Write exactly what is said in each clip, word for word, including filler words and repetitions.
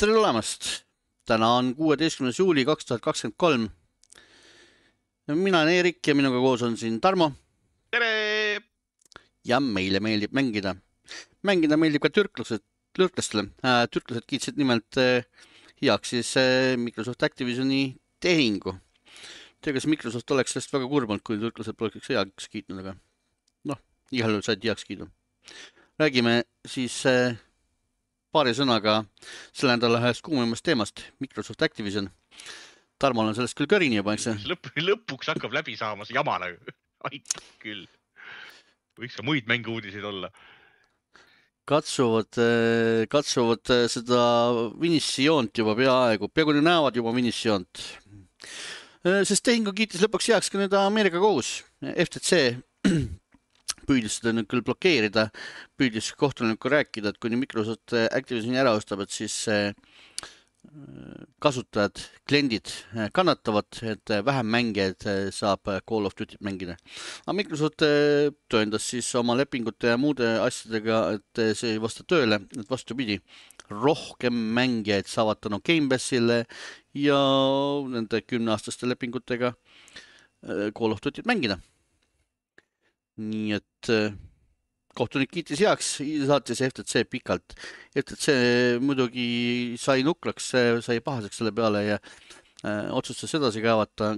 Tere tulemast! Täna on kuueteistkümnes juuli kaks tuhat kakskümmend kolm. Mina olen Eerik ja minuga koos on siin Tarmo. Tere! Ja meile meeldib mängida. Mängida meeldib ka türklased, türklastele. Äh, türklased kiitsid nimelt äh, heaks siis äh, Microsoft Activisioni tehingu. Tea, kas Microsoft oleks sellest väga kurbanud, kui türklased poleks heaks kiitnud, aga noh, igal juhul said heaks kiidu. Räägime siis äh, paari sõnaga selle nädala ühest kuumemast teemast, Microsoft Activision. Tarmol on sellest küll kõrini juba, eks see? Lõpp, lõpuks hakkab läbi saama see jama nagu. Aitab küll. Võiks ka muid mänge uudiseid olla. Katsuvad, katsuvad seda finišijoont juba peaaegu. Peaaegu ne näevad juba finišijoont. Sest tehingu kiitis lõpuks heaks ka nüüd Ameerika kohus. F T C püüdis seda nüüd küll blokeerida, püüdis kohtunikku rääkida, et kuni Microsoft Activisioni ära ostab, et siis kasutajad, kliendid kannatavad, et vähem mängijaid saab Call of Duty mängida. Aga Microsoft tõendas siis oma lepingute ja muude asjadega, et see ei vasta tööle, et vastupidi, rohkem mängijaid saavad tänu Game Passile ja nende kümneaastaste lepingutega Call of Duty't mängida. Nii et kohtunik kiitis heaks, saatis F T C pikalt. F T C muidugi sai nukraks, sai pahaseks selle peale ja äh, otsustas edasi kaevata.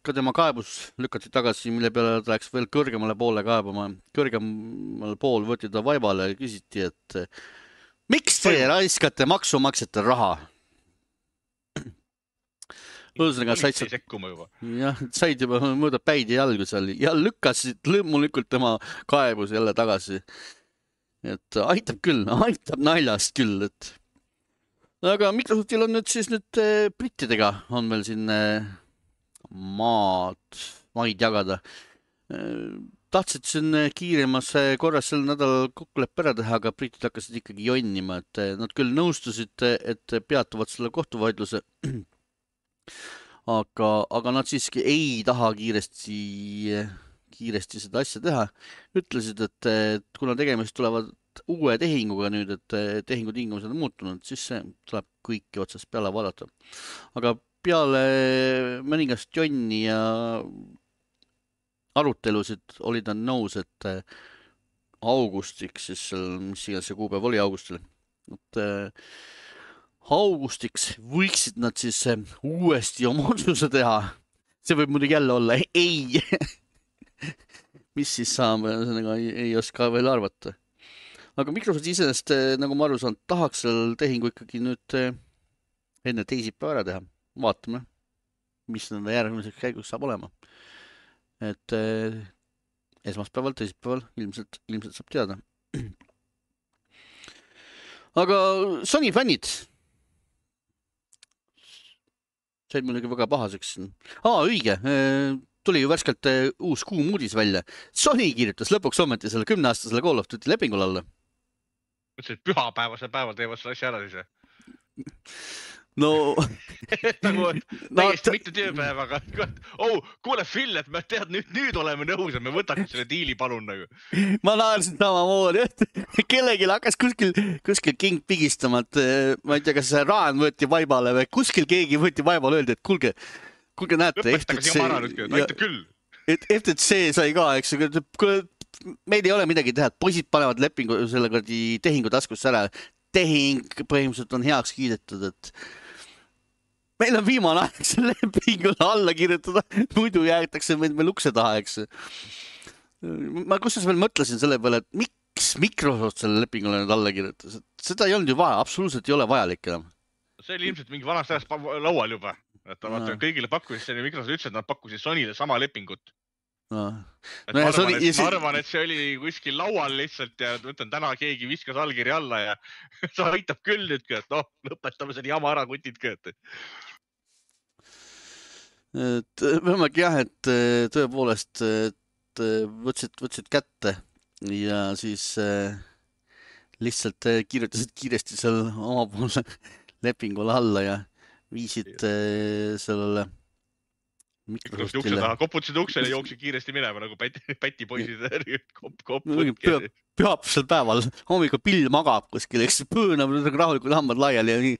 Ka tema kaebus lükati tagasi, mille peale ta läks veel kõrgemale poole kaebama. Kõrgemal pool võeti ta vaibale ja küsiti, et miks te raiskate maksumaksjate raha? Lõusega said, jah, said juba mõõda päid ja jalgu seal ja lükkasid lõmmulikult tema kaebus jälle tagasi. Et aitab küll, aitab naljast küll. Et... Aga Microsoftil on nüüd siis nüüd brittidega on veel siin maad, maid jagada. Tahtsid siin kiiremas korras sel nädalal kokkuleppe ära teha, aga britid hakkasid ikkagi jonnima. Et nad küll nõustusid, et peatuvad selle kohtuvaidluse. Aga, aga nad siiski ei taha kiiresti, kiiresti seda asja teha. Ütlesid, et, et kuna tegemist tulevad uue tehinguga nüüd, et tehingu tingimused on muutunud, siis see tuleb kõiki otsast peale vaadata. Aga peale mõningast jonni ja arutelusid olid nad nõus, et augustiks, siis mis iganes see kuupäev oli augustil, et augustiks võiksid nad siis uuesti oma otsuse teha. See võib muidugi jälle olla ei. Mis siis saab, ei, ei oska veel arvata. Aga Microsoft iseenest, nagu ma aru saan, tahaks seal tehingu ikkagi nüüd enne teisipäeva ära teha. Vaatame, mis nende järgmiseks käigus saab olema. Et esmaspäeval, teisipäeval ilmselt, ilmselt saab teada. Aga Sony fännid said muidugi väga pahaseks. Aa, õige. Tuli ju värskelt uus kuum uudis välja. Sony kirjutas lõpuks ometi selle kümneaastasele Call of Duty lepingul alla. Mõtlesin, et pühapäevasel päeval teevad selle asja ära siis. No... nagu täiesti mitte tööpäev, aga oh, kuule Phil, et me tead, nüüd, nüüd oleme nõus, et me võtaks selle diili palun nagu. Ma naarsin samamoodi, et kellelgi hakkas kuskil, kuskil king pigistama, et ma ei tea, kas see Raan võeti vaibale või kuskil keegi võeti vaibale öeldi, et kulge, kulge näete, F T C, ja, et F T C sai ka, eks, meil ei ole midagi teha, et poisid panevad lepingu selle tehingu taskusse ära, tehing põhimõtteliselt on heaks kiidetud, et meil on viimane aeg selle lepingule alla kirjutada, muidu jäetakse meid meil ukse taha, eks. Ma kusjuures veel mõtlesin selle peale, et miks Microsoft selle lepingule nüüd alla kirjutas. Seda ei olnud ju vaja, absoluutselt ei ole vajalik enam. See oli ilmselt mingi vanast ajast laual juba. Et vaata, kõigile pakkusid, see Microsoft ütles, et nad pakkusid Sonyle sama lepingut. No. No, ma, arvan, Sony, et, ma arvan, et see oli kuskil laual lihtsalt ja mõtlen, täna keegi viskas allkiri alla ja see aitab küll nüüd, et noh, lõpetame selle jama ära kutid kööd. Et võimagi jah, et tõepoolest et võtsid, võtsid kätte ja siis lihtsalt kirjutasid kiiresti seal omapoolse lepingule alla ja viisid sellele Mikrosofti taha, koputasid uksele ja jooksid kiiresti minema nagu päti, päti poisid kop, kop, pühapsel päeval hommikul pill magab kuskil, eks pöönab rahulikult hambad laiali ja nii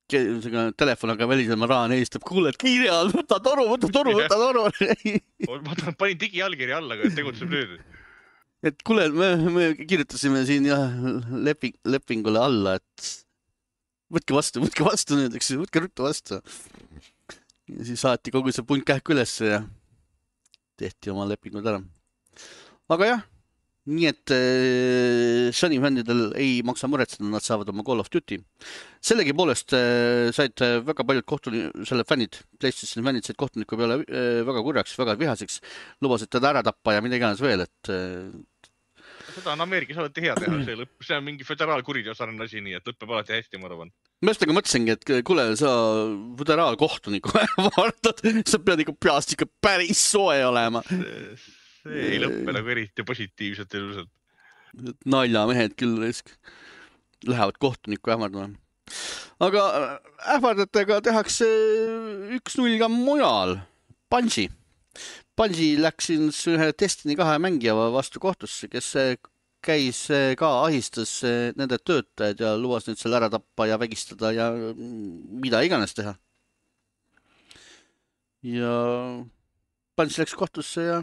telefon aga välisel ma rahan eestab, kuule, et kiire all, võta toru, võta toru, võta toru. ma panin digijalgiri alla, aga tegutseb nüüd. Et kuule, me, me kirjutasime siin jah leping, lepingule alla, et võtke vastu, võtke vastu nüüd, eks, võtke ruttu vastu. Ja siis saati kogu see punt kähku üles ja tehti oma lepingud ära. Aga jah, nii et äh, Sony fännidel ei maksa muretseda, nad saavad oma Call of Duty. Sellegi poolest äh, said väga paljud kohtuni, selle fännid, PlayStation fännid said kohtuniku peale äh, väga kurjaks, väga vihaseks, lubasid teda ära tappa ja mida iganes veel, et äh, seda on Ameerikas alati hea teha, see, lõpp, see on mingi föderaalkuriteo sarnane asi, nii et lõppeb alati hästi, ma arvan. Ma just aga mõtlesingi, et kuule, sa föderaalkohtuniku vaatad, sa pead ikka peast ikka päris soe olema. See, see ei lõppe nagu eriti positiivselt ilusalt. Naljamehed küll risk. Lähevad kohtuniku ähvardama. Aga ähvardatega tehakse üks null ka mujal. Bungie. Bungie läks ühe Destiny kahe mängija vastu kohtusse, kes käis ka ahistas nende töötajad ja lubas nüüd selle ära tappa ja vägistada ja mida iganes teha. Ja Bungie läks kohtusse ja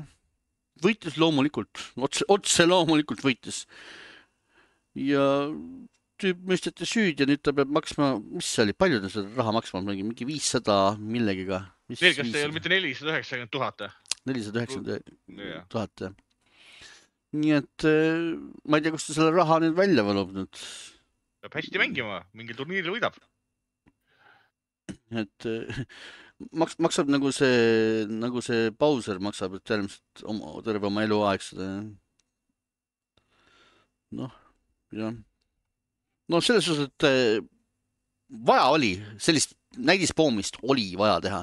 võitis loomulikult, otse, otse loomulikult võitis. Ja tüüp mõisteti süüd ja nüüd ta peab maksma, mis see oli, palju ta seda raha maksma, mingi viissada millegiga. Veel, kas see ei ole mitte nelisada üheksakümmend tuhat? nelisada üheksakümmend tuhat, jah. Nii et ma ei tea, kus ta selle raha nüüd välja valub nüüd. Peab hästi mängima, mingi turniiril võidab. Et maks, maksab nagu see, nagu see Bowser maksab, et tervist oma, terve oma elu aeg seda. Noh, jah. No selles suhtes, et vaja oli, sellist näidispoomist oli vaja teha.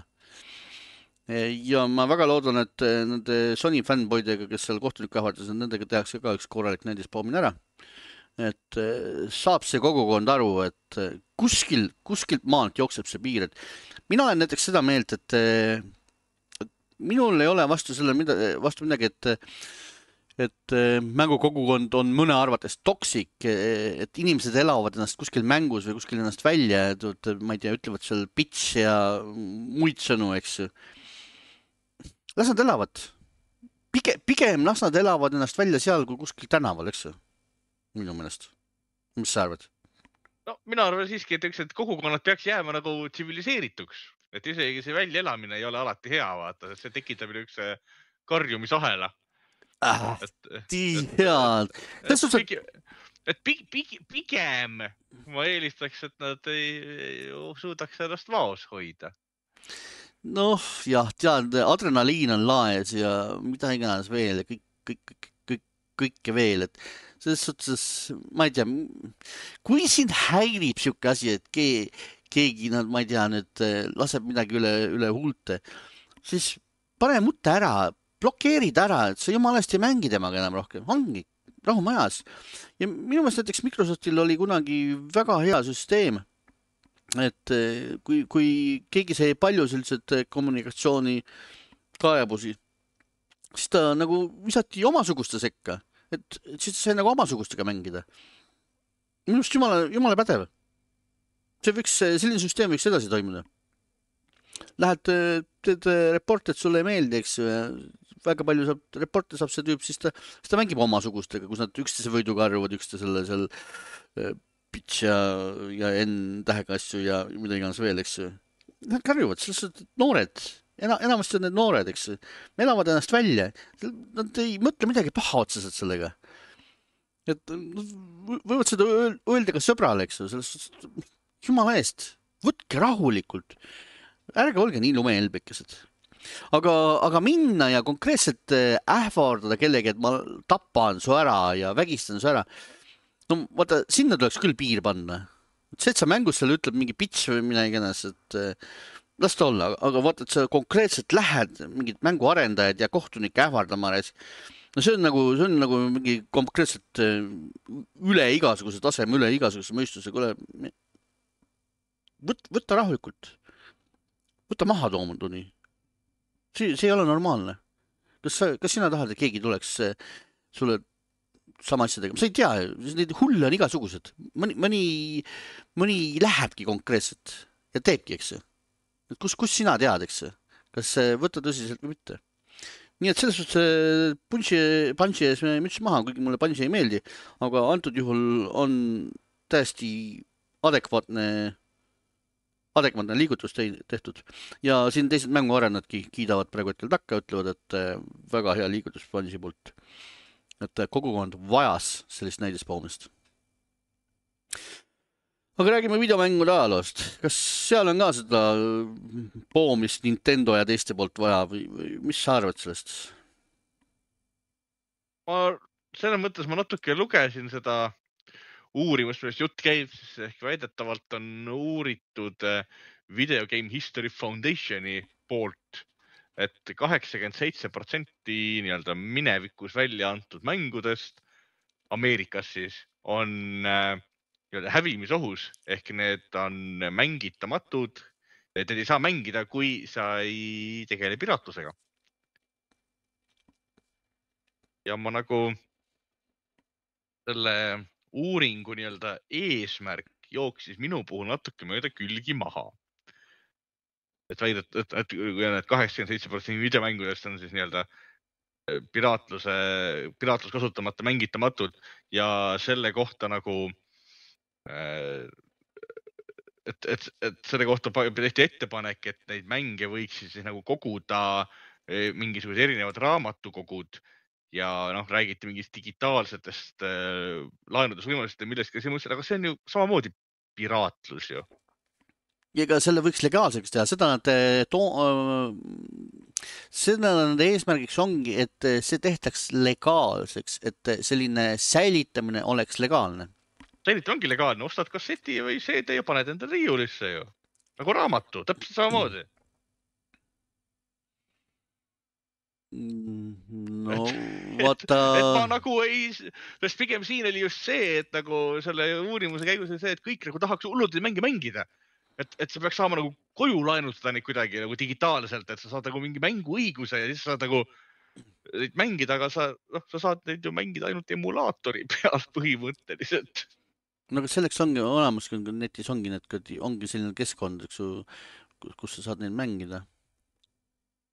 Ja ma väga loodan, et nende Sony fanboydega, kes seal kohtuniku ähvardas, nendega tehakse ka üks korralik näidispoomine ära. Et saab see kogukond aru, et kuskil, kuskilt maalt jookseb see piir. Et mina olen näiteks seda meelt, et, et minul ei ole vastu selle mida, vastu midagi, et et mängukogukond on mõne arvates toksik, et inimesed elavad ennast kuskil mängus või kuskil ennast välja, et ma ei tea, ütlevad seal bitch ja muid sõnu, eks. Las nad elavad. Pige, pigem las nad elavad ennast välja seal kui kuskil tänaval, eks. Minu meelest. Mis sa arvad? No, mina arvan siiski, et, üks, et kogukonnad peaks jääma nagu tsiviliseerituks. Et isegi see välja elamine ei ole alati hea, vaata. See tekitab üks karjumisahela. Ah, head. Et, et pigem ma eelistaks, et nad ei suudaks ennast vaos hoida. Noh, jah, tead, adrenaliin on laes ja mida iganes veel ja kõik, kõik, kõik, kõik, kõike veel, et selles suhtes, ma ei tea, kui sind häirib siuke asi, et keegi, keegi nad, ma ei tea, nüüd laseb midagi üle, üle huulte, siis pane mutte ära, blokeerid ära, et sa jumalast ei mängi temaga enam rohkem, ongi rahumajas. Ja minu meelest näiteks Microsoftil oli kunagi väga hea süsteem, et kui, kui keegi sai palju sellised kommunikatsiooni kaebusi, siis ta nagu visati omasuguste sekka, et, et siis ta sai nagu omasugustega mängida. Minu meelest jumala, jumala pädev. See võiks, selline süsteem võiks edasi toimuda. Lähed, teed report, et sulle ei meeldi, eks väga palju saab, reporte saab see tüüp, siis ta, siis ta mängib omasugustega, kus nad üksteise võiduga arvuvad, üksteise selle seal pitch ja, ja N tähega asju ja mida iganes veel, eks. Nad karjuvad, selles noored, ena, enamasti on need noored, eks. Me elavad ennast välja. Nad ei mõtle midagi paha otseselt sellega. Et võivad seda öelda ka sõbrale, eks. Selles, jumala eest, võtke rahulikult. Ärge olge nii lumeelbekesed. Aga, aga minna ja konkreetselt ähvardada kellegi, et ma tapan su ära ja vägistan su ära. No vaata, sinna tuleks küll piir panna. See, et sa mängus seal ütleb mingi pitch või mina iganes, et las ta olla. Aga vaata, et sa konkreetselt lähed mingid mänguarendajad ja kohtunik ähvardama. No see on nagu, see on nagu mingi konkreetselt üle igasuguse taseme, üle igasuguse mõistuse. Kule, võt, võtta rahulikult. Võta maha toomunduni. See, see ei ole normaalne. Kas, sa, kas sina tahad, et keegi tuleks sulle sama asja tegema? Sa ei tea, need hulle on igasugused. Mõni, mõni, mõni lähebki konkreetselt. ja teebki, eks see. Kus, kus sina tead, eks see? Kas võtta tõsiselt või mitte? Nii et selles suhtes punši, punši ees müts maha, kuigi mulle punši ei meeldi, aga antud juhul on täiesti adekvaatne, adekvaatne liigutus tehtud. Ja siin teised mänguarennadki kiidavad praegu hetkel takka, ütlevad, et väga hea liigutus punši poolt. Et kogukond vajas sellist näidispoomist. Aga räägime videomängude ajaloost. Kas seal on ka seda poomist Nintendo ja teiste poolt vaja või, või mis sa arvad sellest? Ma selles mõttes ma natuke lugesin seda uurimust, millest jutt käib, siis ehk väidetavalt on uuritud Video Game History Foundationi poolt, et kaheksakümmend seitse protsenti nii-öelda minevikus välja antud mängudest Ameerikas siis on hävimisohus, ehk need on mängitamatud, et need ei saa mängida, kui sa ei tegele piraatlusega. Ja ma nagu selle uuringu nii-öelda eesmärk jooksis minu puhul natuke mööda külgi maha. Et väidet, et, et need kaheksakümmend seitse protsenti videomängudest on siis nii-öelda piraatluse, piraatlus kasutamata mängitamatud ja selle kohta nagu Et, et, et selle kohta tehti ettepanek, et neid mänge võiks siis nagu koguda mingisugused erinevad raamatukogud ja noh, räägiti mingist digitaalsetest äh, laenudusvõimalustest ja millest ka see mõtlesid, aga see on ju samamoodi piraatlus ju. Ja ega selle võiks legaalseks teha, seda nad to-, seda nad eesmärgiks ongi, et see tehtaks legaalseks, et selline säilitamine oleks legaalne. Säilita ongi legaalne, ostad kasseti või C D ja paned enda riiulisse ju. Nagu raamatu, täpselt samamoodi. No, vaata... Et, et ma nagu ei... Sest pigem siin oli just see, et nagu selle uurimuse käigus oli see, et kõik nagu tahaks hullult mänge mängida. Et, et sa peaks saama nagu koju laenutada neid kuidagi nagu digitaalselt, et sa saad nagu mingi mänguõiguse ja siis saad nagu neid mängida, aga sa, no, sa saad neid ju mängida ainult emulaatori peal põhimõtteliselt. No aga selleks ongi olemas, kui netis ongi, need, ongi selline keskkond, kus sa saad neid mängida.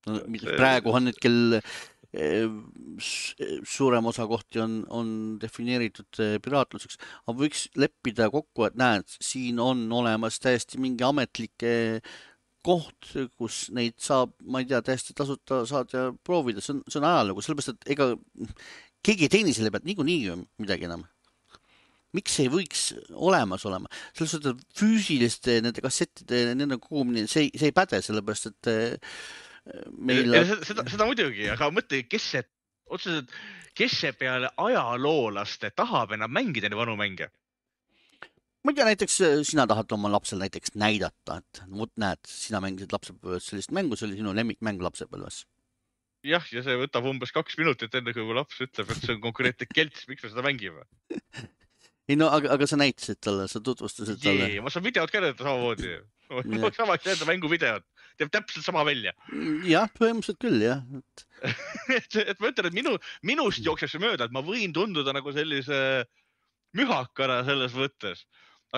No, see... Praegu on nüüd kell suurem osa kohti on, on defineeritud piraatluseks, aga võiks leppida kokku, et näed, siin on olemas täiesti mingi ametlike koht, kus neid saab, ma ei tea, täiesti tasuta saad ja proovida. See on, see on ajalugu, sellepärast, et ega keegi ei teeni selle pealt niikuinii midagi enam. Miks ei võiks olemas olema? Selles suhtes, et füüsiliste nende kassettide nende kogumine, see, see ei päde, sellepärast, et meil... Seda, seda, seda muidugi, aga mõtle, kes see, otseselt, kes see peale ajaloolaste tahab enam mängida neid vanu mänge? Ma ei tea, näiteks sina tahad oma lapsel näiteks näidata, et võt näed, sina mängisid lapsepõlves sellist mängu, see oli sinu lemmikmäng lapsepõlves. Jah, ja see võtab umbes kaks minutit enne, kui mu laps ütleb, et see on konkreetne kelts, miks me seda mängime. Ei no, aga, aga sa näitasid talle, sa tutvustasid talle. Jee, ma saan videot ka näidata samamoodi. Ma sama näidata mängu videot. Teeb täpselt sama välja. Jah, põhimõtteliselt küll, jah. et, et ma ütlen, et minu, minust jookseb see mööda, et ma võin tunduda nagu sellise mühakana selles võttes.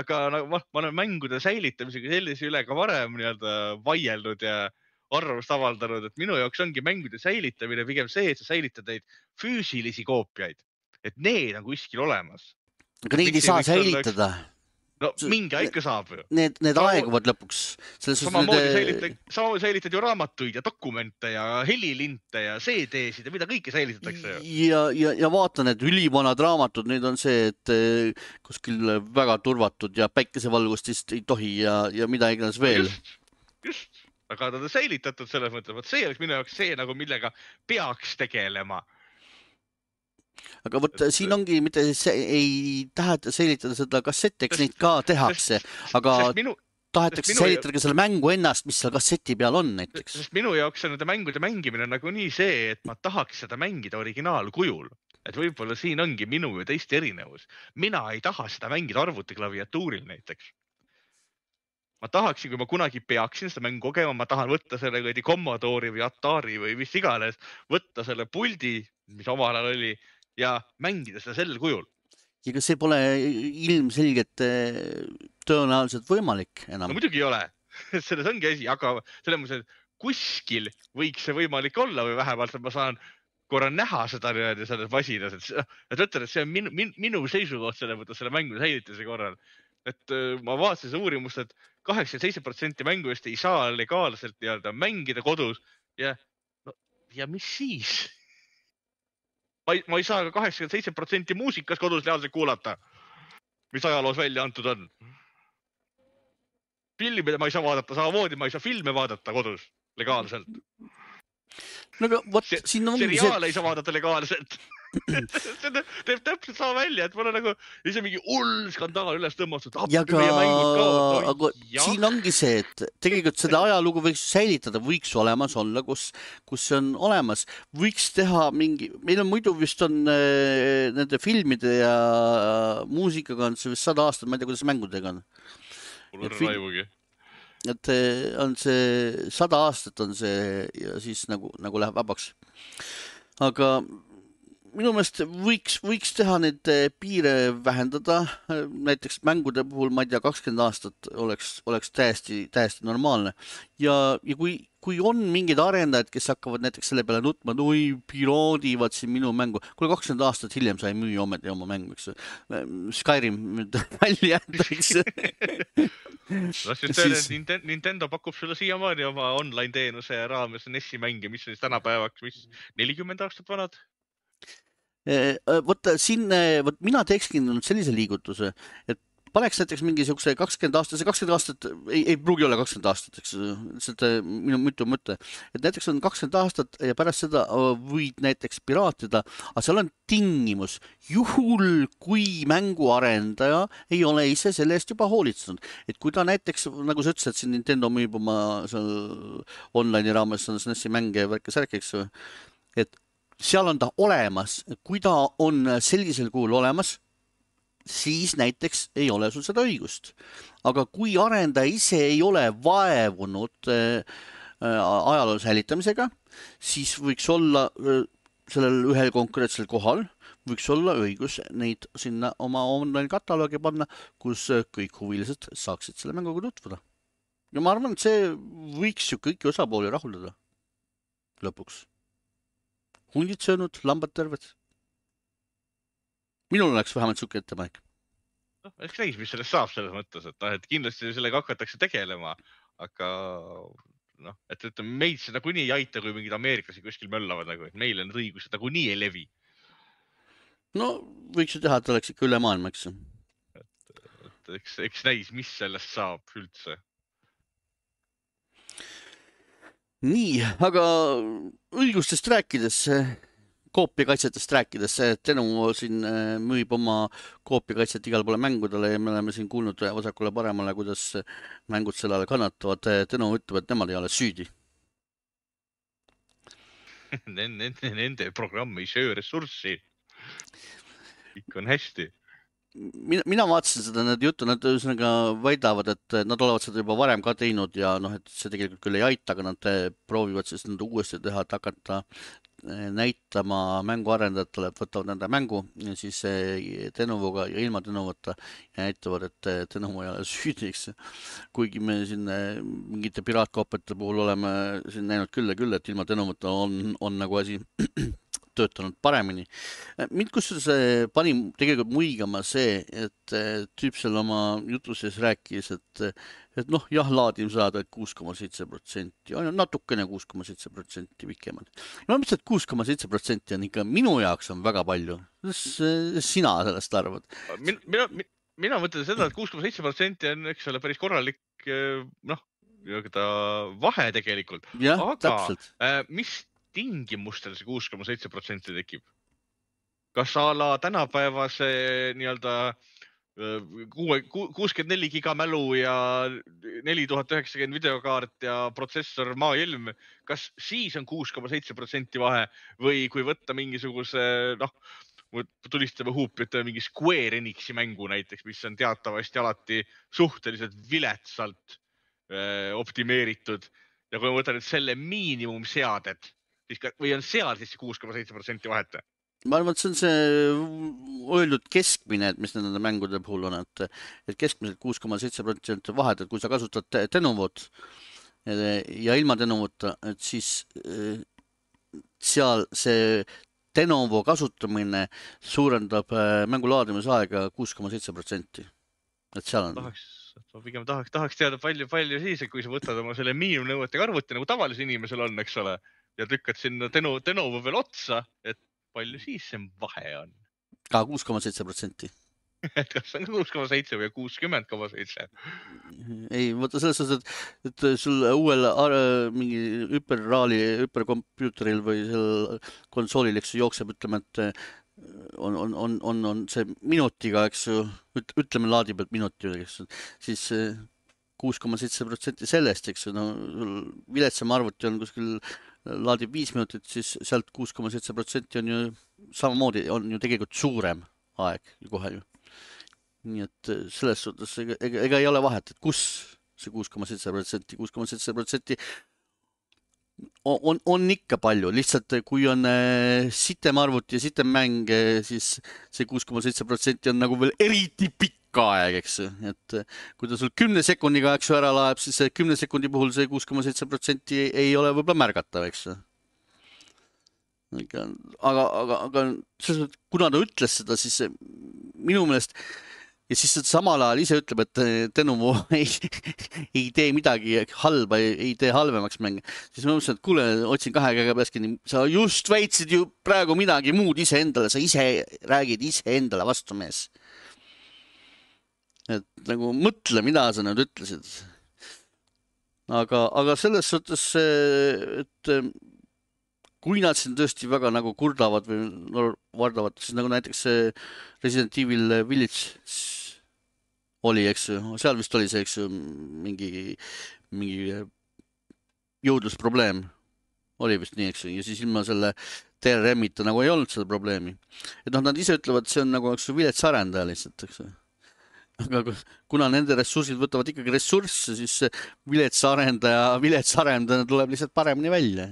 Aga nagu, ma, ma olen mängude säilitamisega sellise üle ka varem nii-öelda vaielnud ja arvamust avaldanud, et minu jaoks ongi mängude säilitamine pigem see, et sa säilitad neid füüsilisi koopiaid. Et need on kuskil olemas. Aga neid ei saa säilitada. No mingi ikka saab ju. Need, need Sama, aeguvad lõpuks. Samamoodi need... säilitad, sama säilitad ju raamatuid ja dokumente ja helilinte ja C D-sid ja mida kõike säilitatakse ju. Ja, ja, ja vaata need ülivanad raamatud, need on see, et kuskil väga turvatud ja päikesevalgust vist ei tohi ja, ja mida iganes veel. Just, just. Aga ta on säilitatud selles mõttes, et see oleks minu jaoks see, nagu millega peaks tegelema. Aga võt, siin ongi, mitte see, ei taheta säilitada seda kasseti, eks neid ka tehakse, aga minu, tahetakse minu, säilitada ka selle mängu ennast, mis seal kasseti peal on näiteks. Sest minu jaoks on nende mängude mängimine nagu nii see, et ma tahaks seda mängida originaalkujul. Et võib-olla siin ongi minu ja teiste erinevus. Mina ei taha seda mängida arvutiklaviatuuril näiteks. Ma tahaksin, kui ma kunagi peaksin seda mängu kogema, ma tahan võtta selle kõidi Commodori või Atari või mis iganes, võtta selle puldi, mis omal ajal oli, ja mängida seda sellel kujul. Ja kas see pole ilmselgelt tõenäoliselt võimalik enam? No muidugi ei ole. selles ongi asi, aga selles mõttes, et kuskil võiks see võimalik olla või vähemalt, et ma saan korra näha seda niimoodi selles masinas, et, et ütlen, et see on minu, minu, minu seisukoht selle mõttes selle mängu säilituse korral. Et ma vaatasin seda uurimust, et kaheksakümmend seitse protsenti mängudest ei saa legaalselt nii-öelda mängida kodus ja, no, ja mis siis? Ma ei, ma ei saa ka kaheksakümmend seitse protsenti muusikas kodus reaalselt kuulata, mis ajaloos välja antud on. Filmide ma ei saa vaadata samamoodi, ma ei saa filme vaadata kodus legaalselt. No aga võt, siin on seriaale see... ei saa vaadata legaalselt. see teeb täpselt sama välja, et mul on nagu ise mingi hull skandaal üles tõmmatud. Ja ka, no, aga jah. Siin ongi see, et tegelikult seda ajalugu võiks säilitada, võiks olemas olla, kus, kus see on olemas. Võiks teha mingi, meil on muidu vist on äh, nende filmide ja muusikaga on see vist sada aastat, ma ei tea, kuidas mängudega on. Mul on raivugi. Et on see sada aastat on see ja siis nagu, nagu läheb vabaks. Aga minu meelest võiks, võiks teha neid piire vähendada. Näiteks mängude puhul, ma ei tea, kakskümmend aastat oleks, oleks täiesti, täiesti normaalne. Ja, ja kui, kui on mingid arendajad, kes hakkavad näiteks selle peale nutma, et oi, piraadivad siin minu mängu. Kuule, kakskümmend aastat hiljem sai müü ometi oma mängu, eks. Skyrim välja jätta, eks. Las just öelda, et Nintendo pakub sulle siiamaani oma online teenuse raames N E S-i mänge, mis on siis tänapäevaks, mis nelikümmend aastat vanad? Võt, siin, võt, mina teekski sellise liigutuse, et paneks näiteks mingi siukse kakskümmend aastat, see kakskümmend aastat ei, ei pruugi olla kakskümmend aastat, eks, seda minu mitu mõte, et näiteks on kakskümmend aastat ja pärast seda võid näiteks piraatida, aga seal on tingimus, juhul kui mänguarendaja ei ole ise selle eest juba hoolitsenud, et kui ta näiteks, nagu sa ütlesid, siin Nintendo müüb oma online raames on S N E S-i mänge ja värke särk, eks, et seal on ta olemas, kui ta on sellisel kuul olemas, siis näiteks ei ole sul seda õigust. Aga kui arendaja ise ei ole vaevunud äh, ajaloo säilitamisega, siis võiks olla äh, sellel ühel konkreetsel kohal, võiks olla õigus neid sinna oma online kataloogi panna, kus kõik huvilised saaksid selle mänguga tutvuda. Ja ma arvan, et see võiks ju kõiki osapooli rahuldada lõpuks. Hundid söönud, lambad terved. Minul oleks vähemalt suke ettepanek. No, eks näis, mis sellest saab selles mõttes, et, et kindlasti sellega hakatakse tegelema, aga noh, et ütleme, meid seda kuni ei aita, kui mingid ameeriklasi kuskil möllavad, nagu, et meile need õigused nagu nii ei levi. No, võiks ju teha, et oleks ikka üle maailma, eks. Et, et eks, eks näis, mis sellest saab üldse. Nii, aga õigustest rääkides, koopiakaitsetest rääkides, Tenu siin müüb oma koopiakaitset igal poole mängudele ja me oleme siin kuulnud vasakule paremale, kuidas mängud sellele kannatavad. Tenu ütleb, et nemad ei ole süüdi. Nende, nende programm ei söö ressurssi. Ikka on hästi. Mina, mina vaatasin seda need juttu, nad ühesõnaga väidavad, et nad olevat seda juba varem ka teinud ja noh, et see tegelikult küll ei aita, aga nad proovivad siis nad uuesti teha, et hakata näitama mänguarendajatele, et võtavad nende mängu ja siis Tenuvuga ja ilma Tenuvata ja näitavad, et Tenuvu ei ole süüdiks. Kuigi me siin mingite piraatkoopiate puhul oleme siin näinud küll ja küll, et ilma Tenuvata on, on nagu asi töötanud paremini. Mind kusjuures pani tegelikult muigama see, et tüüp seal oma jutu sees rääkis, et, et noh, jah, laadim saada kuus koma seitse protsenti, on natukene kuus koma seitse protsenti pikemad. Ma mõtlesin, et kuus koma seitse protsenti on ikka minu jaoks on väga palju. Kuidas sina sellest arvad? Mina, mina, mina mõtlen seda, et kuus koma seitse protsenti on eks ole päris korralik noh, vahe tegelikult. Ja, aga täpselt. mis tingimustel see kuus koma seitse protsenti tekib? Kas ala tänapäevase nii-öelda kuuskümmend neli giga mälu ja neli tuhat üheksakümmend videokaart ja protsessor maailm, kas siis on kuus koma seitse protsenti vahe või kui võtta mingisuguse, noh, tulistame huupi, et mingi Square Enixi mängu näiteks, mis on teatavasti alati suhteliselt viletsalt öö, optimeeritud ja kui ma võtan nüüd selle miinimumseadet, või on seal siis kuus koma seitse protsenti vahet? ma arvan, et see on see öeldud keskmine, et mis nende mängude puhul on, et, et keskmiselt kuus koma seitse protsenti vahet, et kui sa kasutad Tenovot ja ilma Tenovota, et siis seal see Tenovo kasutamine suurendab mängu laadimisaega kuus koma seitse protsenti. Et seal on. Tahaks, ma pigem tahaks, tahaks teada palju, palju siis, et kui sa võtad oma selle miinimumnõuetega arvuti, nagu tavalisel inimesel on, eks ole, ja tükkad sinna Teno, Tenovo veel otsa, et palju siis see vahe on? Ka kuus koma seitse protsenti. Et kas on kuus koma seitse või kuuskümmend koma seitse? Ei, võtta selles suhtes, et, et sul uuel mingi hüperraali, hüperkompuuteril või seal konsoolil, eks jookseb, ütleme, et on, on, on, on, on see minutiga, eks ju, ütleme laadi pealt minuti, eks ju, siis kuus koma seitse protsenti sellest, eks ju, no viletsam arvuti on kuskil laadib viis minutit, siis sealt kuus koma seitse protsenti on ju samamoodi, on ju tegelikult suurem aeg kohe ju. Nii et selles suhtes ega, ega, ega ei ole vahet, et kus see kuus koma seitse protsenti, kuus koma seitse protsenti on, on ikka palju, lihtsalt kui on sitem arvuti ja sitem mäng, siis see kuus koma seitse protsenti on nagu veel eriti pikk aeg, eks ju, et kui ta sul kümne sekundiga, eks ju, ära laeb, siis kümne sekundi puhul see kuus koma seitse protsenti ei ole võib-olla märgatav, eks ju. Aga, aga, aga kuna ta ütles seda, siis minu meelest ja siis samal ajal ise ütleb, et Tenovo ei, ei tee midagi halba, ei, ei tee halvemaks mänge. Siis ma mõtlesin, et kuule, otsin kahe käega peaski, sa just väitsid ju praegu midagi muud ise endale, sa ise räägid ise endale vastu mees. Et nagu mõtle, mida sa nüüd ütlesid. Aga, aga selles suhtes, et kui nad siin tõesti väga nagu kurdavad või no, vardavad, siis nagu näiteks Resident Evil Village oli, eks ju, seal vist oli see, eks ju, mingi, mingi jõudlusprobleem. Oli vist nii, eks ju, ja siis ilma selle T R M-ita nagu ei olnud seda probleemi. Et noh, nad ise ütlevad, see on nagu, eks ju, vilets arendaja lihtsalt, eks ju. Aga kuna nende ressursid võtavad ikkagi ressursse, siis vilets arendaja, vilets arendaja tuleb lihtsalt paremini välja.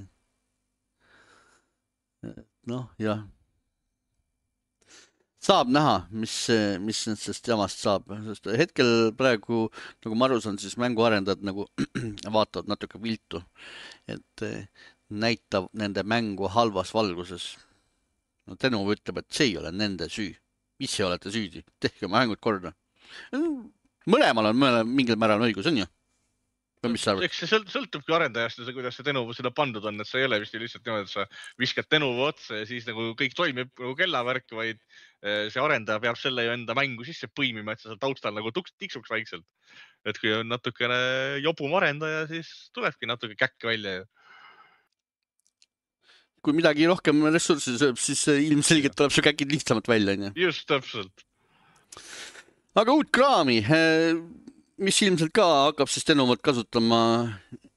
Noh, jah. Saab näha, mis, mis sellest jamast saab. Sest hetkel praegu, nagu ma aru saan, siis mänguarendajad nagu vaatavad natuke viltu, et näitab nende mängu halvas valguses. No Tenovo ütleb, et see ei ole nende süü. Ise olete süüdi. Tehke oma mängud korda. Mõlemal on mõle, mingil määral õigus, on ju? Eks see sõltubki arendajast ja see, kuidas see Tenovo seda pandud on, et see ei ole vist lihtsalt niimoodi, et sa viskad Tenovo otsa ja siis nagu kõik toimib nagu kellavärk, vaid see arendaja peab selle ju enda mängu sisse põimima, et sa taustal nagu tiksuks vaikselt. Et kui on natukene jobum arendaja, siis tulebki natuke käkk välja. Kui midagi rohkem ressurssi sööb, siis ilmselgelt tuleb see käkid lihtsamalt välja. Just, täpselt. Aga uut kraami... mis ilmselt ka hakkab siis Tenovot kasutama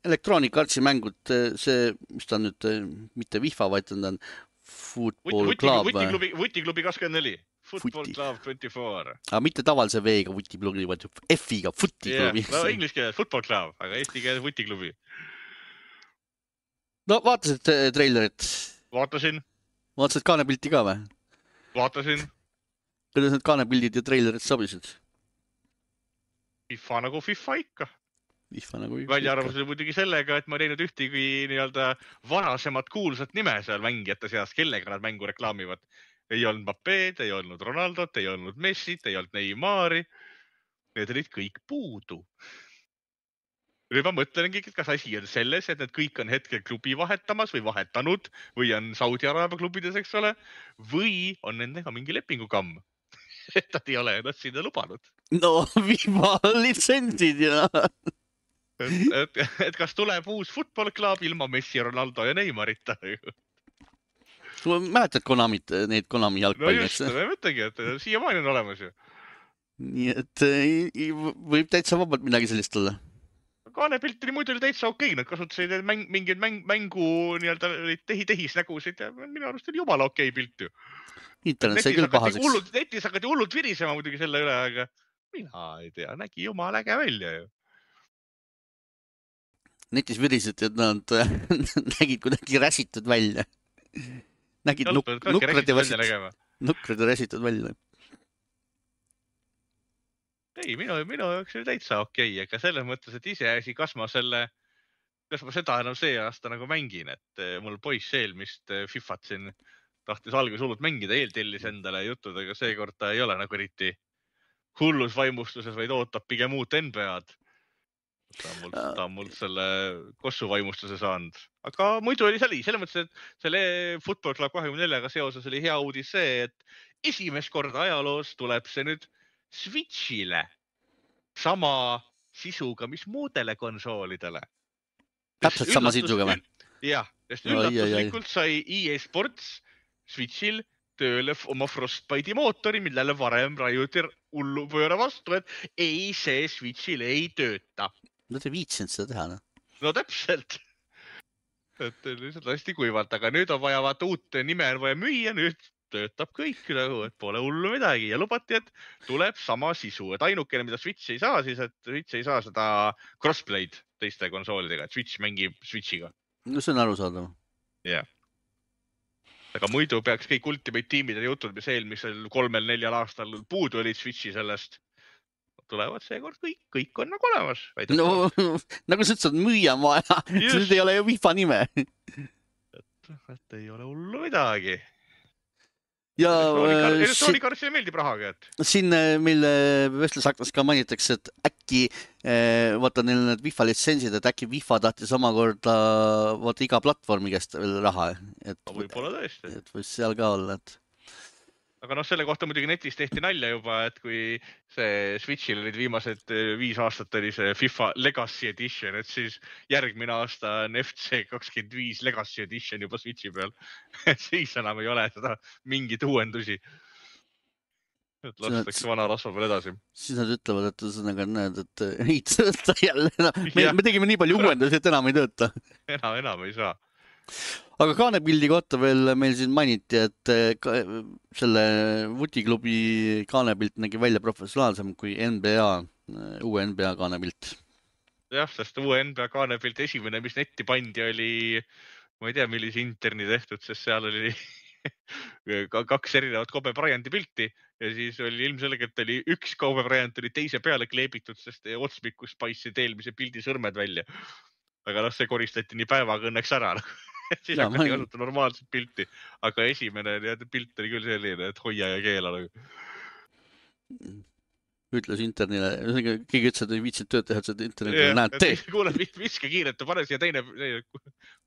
Electronic Artsi mängud, see, mis ta on nüüd, mitte FIFA, vaid ta on Football Club. Vutiklubi kakskümmend neli. Football Club kakskümmend neli. Aga mitte tavalise V-ga Vutiklubi, vaid F-iga Vutiklubi. Yeah, no inglise keeles Football Club, aga eesti keeles Vutiklubi. No vaatasid trailerit? Vaatasin. Vaatasid kaanepilti ka või? Vaatasin. Kuidas need kaanepildid ja trailerid sobisid? FIFA nagu FIFA ikka. FIFA nagu FIFA välja arvamusel muidugi sellega, et ma teinud ühtegi nii-öelda varasemat kuulsat nime seal mängijate seas, kellega nad mängu reklaamivad. Ei olnud Mbappéd, ei olnud Ronaldot, ei olnud Messit, ei olnud Neymari. Need olid kõik puudu. Nüüd ma mõtlengi, kas asi on selles, et need kõik on hetkel klubi vahetamas või vahetanud või on Saudi Araabia klubides, eks ole, või on nendega mingi lepingukamm. Et nad ei ole ennast sinna lubanud. No, viima litsentsid ja... et, et, et kas tuleb uus Football Club ilma Messi, Ronaldo ja Neymarita? Sa mäletad Konamit, neid Konami jalgpalli? No just, ma mõtlengi, et siiamaani on olemas ju. Nii et võib täitsa vabalt midagi sellist olla. Kaanepilt oli muidu täitsa okei, nad kasutasid mäng, mingid mäng, mängu nii-öelda tehi-tehis nägusid ja minu arust oli jumala okei pilt ju. Internet sai küll pahaseks. Netis hakati hullult virisema muidugi selle üle, aga mina ei tea, nägi jumala äge välja ju. Netis virised, et nad nägid kuidagi räsitud välja. nägid nuk nukrad ja väsitud, nukrad ja väsitud välja. Ei, minu, minu jaoks oli täitsa okei, okay, aga selles mõttes, et ise asi, kas ma selle, kas ma seda enam see aasta nagu mängin, et mul poiss eelmist Fifat siin tahtis alguses hullult mängida, eeltellis endale juttudega, seekord ta ei ole nagu eriti hullus vaimustuses, vaid ootab pigem uut N B A-d. Ta on mult, ta on mult selle kossu vaimustuse saanud. Aga muidu oli see, selles mõttes, et selle Football Club kahekümne neljaga seoses oli hea uudis see, et esimest korda ajaloos tuleb see nüüd Switchile sama sisuga, mis muudele konsoolidele. Täpselt sama sisuga või? Jah, sest üllatuslikult sai E A Sports Switchil tööle oma Frostbite'i mootori, millele varem raiuti hullu pööra vastu, et ei, see Switchil ei tööta. No te viitsinud seda teha, no? No täpselt. Et lihtsalt hästi kuivalt, aga nüüd on vaja vaata uut nime on vaja müüa, nüüd töötab kõik, nagu, et pole hullu midagi ja lubati, et tuleb sama sisu, et ainukene, mida Switch ei saa, siis et Switch ei saa seda crossplay'd teiste konsoolidega, et Switch mängib Switchiga. No see on arusaadav. Jah. Aga muidu peaks kõik Ultimate tiimid ja jutud, mis eelmisel kolmel-neljal aastal puudu olid Switchi sellest, tulevad seekord kõik, kõik on nagu olemas. No, nagu sa ütlesid, müüa on vaja, nüüd ei ole ju FIFA nime. Et, et ei ole hullu midagi. Ja elektroonikarssile meeldib rahaga, et siin meil vestlusaknas ka mainitakse, et äkki vaata neil need FIFA litsentsid, et äkki FIFA tahtis omakorda vaata iga platvormi käest veel raha, et võib-olla tõesti, et võis seal ka olla, et aga noh, selle kohta muidugi netis tehti nalja juba, et kui see Switchil olid viimased viis aastat oli see FIFA Legacy Edition, et siis järgmine aasta on F C kakskümmend viis Legacy Edition juba Switchi peal. Siis enam ei ole seda mingit uuendusi. Et lastakse vana rasva peal edasi. Siis nad ütlevad, et ühesõnaga näed, et ei tööta jälle. Me, me tegime nii palju uuendusi, et enam ei tööta. Enam, enam ei saa. Aga kaanepildi kohta veel meil siin mainiti, et ka, selle vutiklubi kaanepilt nägi välja professionaalsem kui N B A, uue N B A kaanepilt. Jah, sest uue N B A kaanepilt esimene, mis netti pandi, oli, ma ei tea, millise interni tehtud, sest seal oli kaks erinevat Kobe Bryanti pilti ja siis oli ilmselgelt oli üks Kobe Bryant oli teise peale kleebitud, sest otsmikus paistsid eelmise pildi sõrmed välja. Aga noh, see koristati nii päevaga õnneks ära. Siis hakati kasuta normaalset pilti, aga esimene pilt oli küll selline, et hoia ja keela. Ütles internile, keegi ütles, et ei viitsid tööd teha, et internetile näed tee. Kuule, viske kiirelt ja pane siia teine,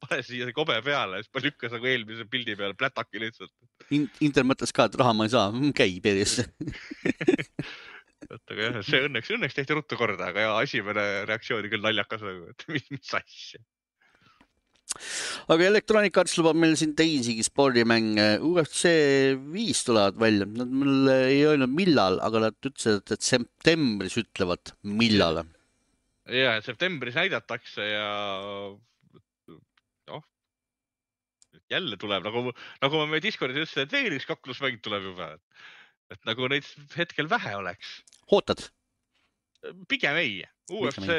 pane siia Kobe peale, siis pa lükkas nagu eelmise pildi peale plätaki lihtsalt. Inter mõtles ka, et raha ma ei saa, käi perisse. Aga jah, see õnneks, õnneks tehti ruttu korda, aga ja esimene reaktsiooni küll naljakas, et mis, mis asja. Aga Electronic Arts lubab meil siin teisigi spordimänge. U F C viis tulevad välja. Nad mul ei öelnud millal, aga nad ütlesid, et septembris ütlevad millal. Ja, septembris näidatakse ja noh, jälle tuleb, nagu, nagu ma meie Discordis ütlesin, et veel üks kaklusmäng tuleb juba. Et nagu neid hetkel vähe oleks. Ootad? Pigem ei. U F C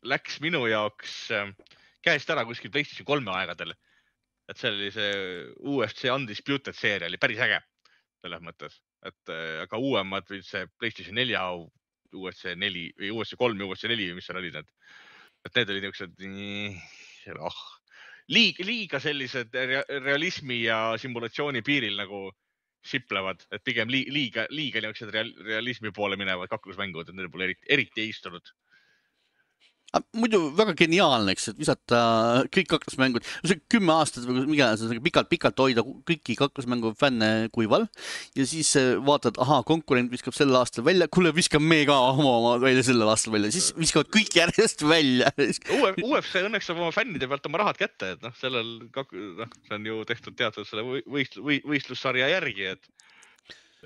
läks minu jaoks käest ära kuskil PlayStation kolme aegadel. Et see oli see U F C Undisputed seeria oli päris äge selles mõttes. Et aga uuemad või see PlayStation nelja, U F C neli või U F C kolm ja U F C neli, mis seal olid need. Et need olid niisugused oh, liiga, liiga sellised realismi ja simulatsiooni piiril nagu siplevad, et pigem liiga, liiga niisugused realismi poole minevad kaklusmängud, et need pole eriti, eriti ei istunud. Muidu väga geniaalne, eks, et visata kõik kaklusmängud, kümme aastat või mida, pikalt, pikalt hoida kõiki kaklusmängu fänne kuival ja siis vaatad, aha, konkurent viskab sel aastal välja, kuule, viskab me ka oma välja sellel aastal välja, siis viskavad kõik järjest välja. U F C õnneks saab oma fännide pealt oma rahad kätte, et noh, sellel, noh, see on ju tehtud teatud selle võist, võistlussarja järgi, et,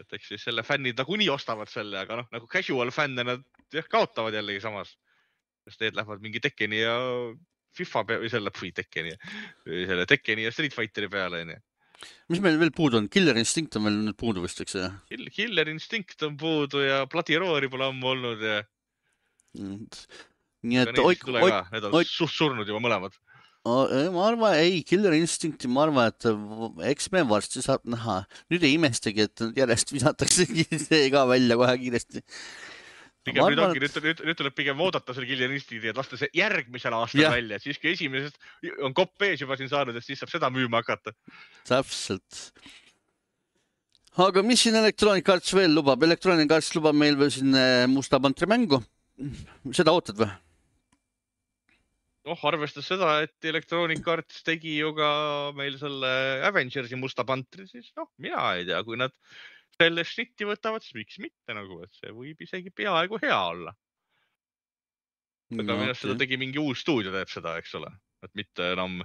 et eks siis selle fännid nagu nii ostavad selle, aga noh, nagu casual fänne nad jah, kaotavad jällegi samas. Sest need lähevad mingi Tekkeni ja FIFA peale, või selle või Tekkeni, või selle Tekkeni ja Street Fighteri peale. Ne? Mis meil veel puudu on? Killer Instinct on meil nüüd puudu vist, eks? Killer Instinct on puudu ja Bloody Roari pole ammu olnud. Ja... Nii et oik, oik, need on suht surnud juba mõlemad. ma arvan, ei, Killer Instincti, ma arvan, et eks me varsti saab näha. Nüüd ei imestagi, et järjest visatakse see ka välja kohe kiiresti. Pigem nüüd ongi, nüüd, nüüd, nüüd tuleb pigem oodata selle Killer Instincti, et lasta see järgmisel aastal ja. välja. Siis kui esimesest on kopp ees juba siin saanud, et siis saab seda müüma hakata. Täpselt. Aga mis siin Electronic Arts veel lubab? Electronic Arts lubab meil veel siin Musta Pantri mängu. Seda ootad või? noh, arvestas seda, et Electronic Arts tegi ju ka meil selle Avengersi Musta Pantri, siis noh, mina ei tea, kui nad selle šnitti võtavad, siis miks mitte nagu, et see võib isegi peaaegu hea olla. Aga no, minu okay. seda tegi mingi uus stuudio teeb seda, eks ole, et mitte enam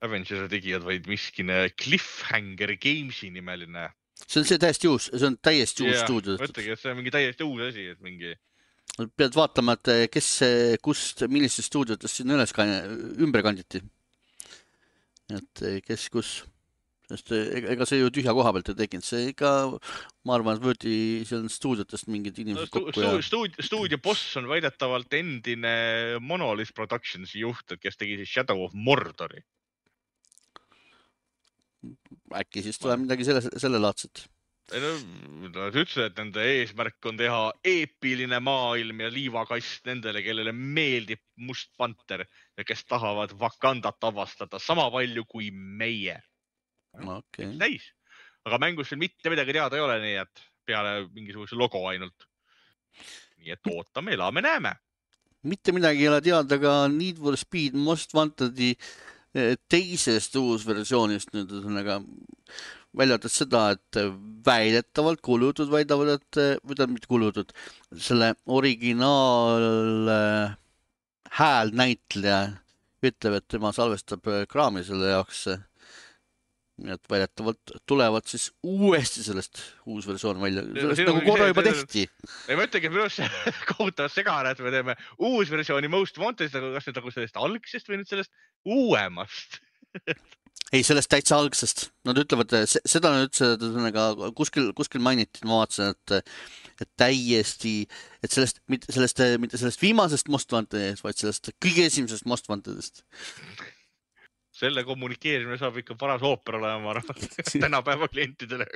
Avengersi tegijad, vaid miskine Cliffhanger Gamesi nimeline. See on see täiesti uus, see on täiesti uus yeah, stuudio. Mõtlegi, et see on mingi täiesti uus asi, et mingi pead vaatama, et kes, kust, millistest stuudiotest siin üles ümber kanditi. Et kes, kus. Sest ega see ju tühja koha pealt ei tekinud. See ikka, ma arvan, et võeti seal stuudiotest mingid inimesed no, stu, kokku. Ja... Stuudio, stuudio boss on väidetavalt endine Monolith Productionsi juht, kes tegi siis Shadow of Mordori. Äkki siis tuleb midagi selle, selle laadset. No, nad ütlesid, et nende eesmärk on teha eepiline maailm ja liivakast nendele, kellele meeldib Must Panter ja kes tahavad Wakandat avastada sama palju kui meie. Okay. Näis. Aga mängus veel mitte midagi teada ei ole, nii et peale mingisuguse logo ainult. Nii et ootame, elame, näeme. Mitte midagi ei ole teada, aga Need for Speed Most Wantedi teisest uus versioonist nüüd ühesõnaga väljatas seda, et väidetavalt kuulujutud väidavad, et või ta mitte kuulujutud, selle originaal hääl näitleja ütleb, et tema salvestab kraami selle jaoks. Et väidetavalt tulevad siis uuesti sellest uus versioon välja. Sellest nagu korra juba tehti. Ei mõtlegi, et minu see kohutavalt segane, et me teeme uus versiooni Most Wanted, kas nüüd nagu sellest algsest või nüüd sellest uuemast? Ei, sellest täitsa algsest. Nad ütlevad, seda nad ütlesid, kuskil, kuskil mainiti, ma vaatasin, et, et täiesti, et sellest, mitte sellest, mitte sellest viimasest Most Wantedest, vaid sellest kõige esimesest Most Wantedest. Selle kommunikeerimine saab ikka paras ooper olema tänapäeva klientidele.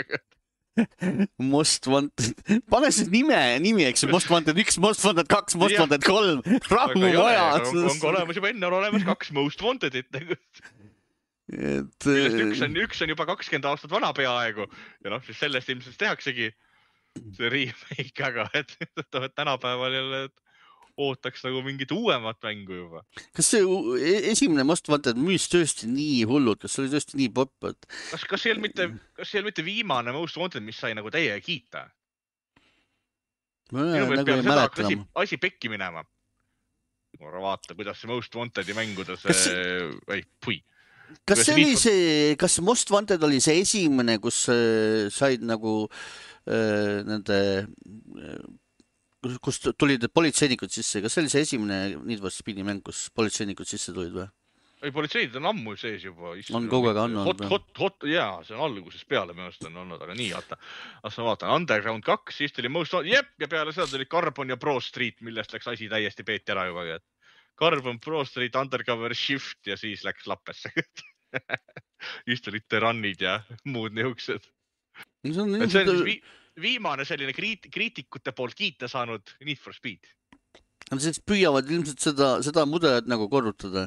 Most Wanted. Pane siis nime, nimi, eks Most Wanted üks, Most Wanted kaks, Most Wanted kolm. Rahu vaja. On olemas juba enne, on olemas kaks Most Wantedit. Et, üks, on, üks on juba kakskümmend aastat vana peaaegu ja noh, siis sellest ilmselt tehaksegi see remake, aga et, et tänapäeval jälle ootaks nagu mingit uuemat mängu juba. Kas see esimene Most Wanted müüs tõesti nii hullud, kas see oli tõesti nii popp? Et... Kas, kas see ei mitte, kas see ei mitte viimane Most Wanted, mis sai nagu teie kiita? Ma nagu ei mäleta enam. Asi pekki minema. Vaata, kuidas see Most Wantedi mängudes... See... Ei, pui. Kas see oli see, kas Most Wanted oli see esimene, kus äh, said nagu äh, nende, äh, kus tulid politseinikud sisse, kas see oli see esimene Need for Speedi mäng, kus politseinikud sisse tulid või? Ei, politseid on ammu sees juba. On kogu aeg on olnud. Hot, hot, hot, jaa, see on alguses peale meelest on olnud, aga nii, vaata. As ma vaatan, Underground kaks, siis tuli Most Wanted, jep, ja peale seda tuli Carbon ja Pro Street, millest läks asi täiesti peeti ära juba, et Carbon Pro Street, Undercover Shift ja siis läks lappesse. Just olid terannid ja muud niuksed. See on, see on vi viimane selline kriit kriitikute poolt kiita saanud Need for Speed. Nad siis püüavad ilmselt seda, seda mudelit nagu korrutada.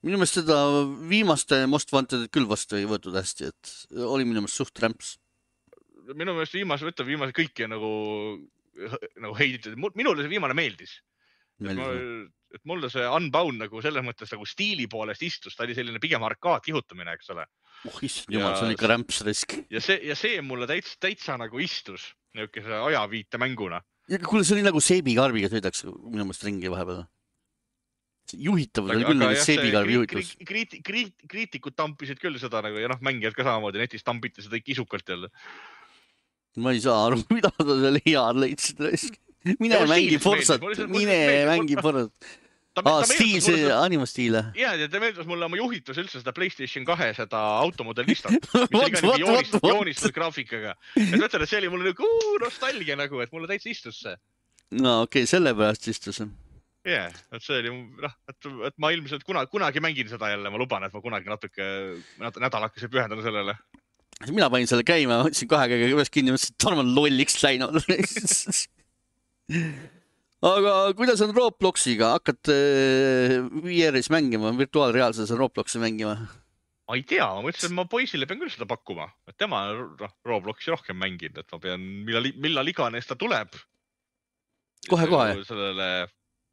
Minu meelest seda viimaste Most Wantedit küll vastu ei võetud hästi, et oli minu meelest suht rämps. Minu meelest viimase, võtta viimase kõiki nagu, nagu heiditud. Minule see viimane meeldis. Et, ma, et mulle see Unbound nagu selles mõttes nagu stiili poolest istus, ta oli selline pigem arkaad kihutamine, eks ole. Oh, issand jumal, see on ikka rämps risk. Ja see, ja see mulle täitsa, täitsa nagu istus niukese ajaviite mänguna. Ja kuule, see oli nagu seebikarbiga sõidaks minu meelest ringi vahepeal. Juhitavus oli küll nagu seebikarbi juhitavus. Kriit, kriit, kriitikud tampisid küll seda nagu, ja noh, mängijad ka samamoodi, netis tampiti seda kisukalt jälle. Ma ei saa aru, mida ta seal head leidsid risk. Mine ja, mängi Forsat, mine mängi Forsat. Aa, stiil, see animastiile. Jaa, ja ta meeldus mulle oma juhitus üldse seda PlayStation kahe seda automodellista. Mis oli ka mingi joonis, joonistud graafikaga. Et mõtlen, et see oli mulle nagu uu, nostalgia nagu, et mulle täitsa istus see. No okei, okay, selle pärast istus. jah, et see oli, noh, et, et ma ilmselt kunagi, kunagi mängin seda jälle, ma luban, et ma kunagi natuke nädalakese pühendan sellele. Mina panin selle käima, võtsin kahe käega üles kinni, mõtlesin, et Tarmo on lolliks läinud. Aga kuidas on Robloxiga? Hakkad V R-is mängima, virtuaalreaalses Robloxi mängima? Ma ei tea, ma mõtlesin, et ma poisile pean küll seda pakkuma, et tema on Robloxi rohkem mänginud, et ma pean, millal, millal iganes ta tuleb. Kohe-kohe. Sellele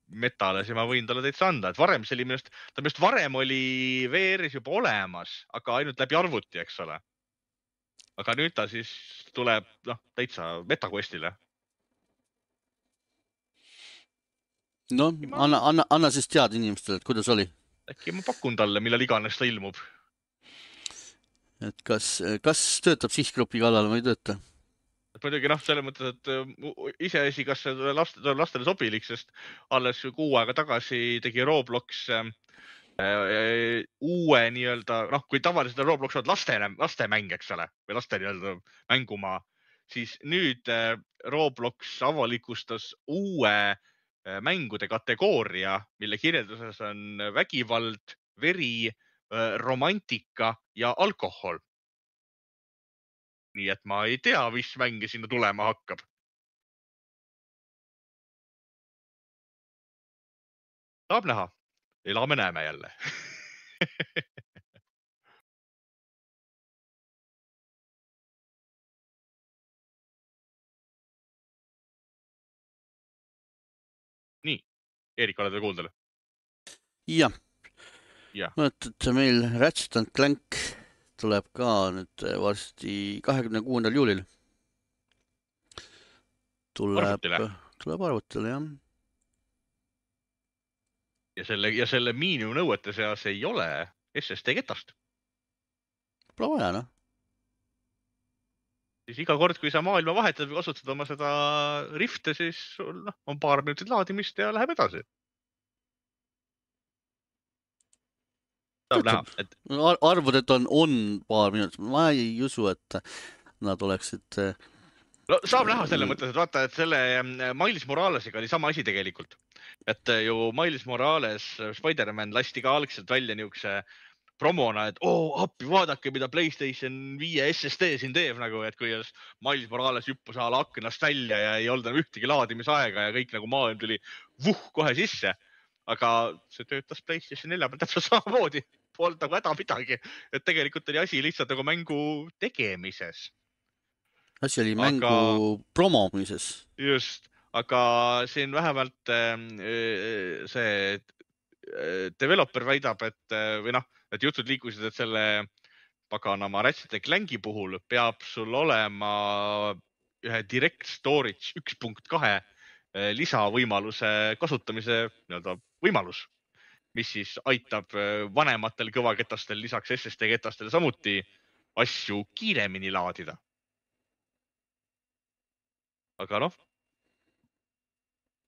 metale, siis ma võin talle täitsa anda, et varem see oli minust, ta minust varem oli V R-is juba olemas, aga ainult läbi arvuti, eks ole. Aga nüüd ta siis tuleb, noh, täitsa MetaQuestile. No, anna, anna, anna siis teada inimestele, et kuidas oli. Äkki ma pakun talle, millal iganes ta ilmub. Et kas, kas töötab sihtgrupi kallal või ei tööta? Et muidugi, noh, selle mõttes, et iseasi, kas see laste, lastele sobilik, sest alles kuu aega tagasi tegi Roblox äh, uue nii-öelda, noh, kui tavaliselt Roblox on laste, laste mäng, eks ole, või laste nii-öelda mängumaa, siis nüüd äh, Roblox avalikustas uue äh, mängude kategooria, mille kirjelduses on vägivald, veri, äh, romantika ja alkohol. Nii et ma ei tea, mis mänge sinna tulema hakkab. Saab näha. Elame näeme jälle. Nii, Eerik, oled veel kuuldel? Jah. Mõtled, et meil Ratchet and Clank tuleb ka nüüd varsti kahekümne kuuendal juulil. Tuleb arvutile, tuleb arvutile jah. Ja selle, ja selle miinimumnõuete seas ei ole S S D ketast. Pole vaja, noh. Siis iga kord, kui sa maailma vahetad või kasutad oma seda rifte, siis sul no, on paar minutit laadimist ja läheb edasi. Saab näha, et... Arvud, et on, on paar minutit. Ma ei usu, et nad oleksid... No, saab näha selle mõttes, et vaata, et selle Miles Moralesiga oli sama asi tegelikult. Et ju Miles Morales, Spider-Man lasti ka algselt välja niukse promona, et oo, appi, vaadake, mida PlayStation viie S S D siin teeb, nagu, et kui Miles Morales hüppus ala aknast välja ja ei olnud ühtegi laadimisaega ja kõik nagu maailm tuli vuh kohe sisse. Aga see töötas PlayStation nelja peal täpselt samamoodi. Polnud nagu häda midagi. Et tegelikult oli asi lihtsalt nagu mängu tegemises. Asi oli mängu aga, promomises. Just, aga siin vähemalt see developer väidab, et või noh, et jutud liikusid, et selle paganama Ratchet and Clanki puhul peab sul olema ühe direct storage üks punkt kaks lisavõimaluse kasutamise nii-öelda võimalus, mis siis aitab vanematel kõvaketastel lisaks S S D ketastel samuti asju kiiremini laadida. Aga noh,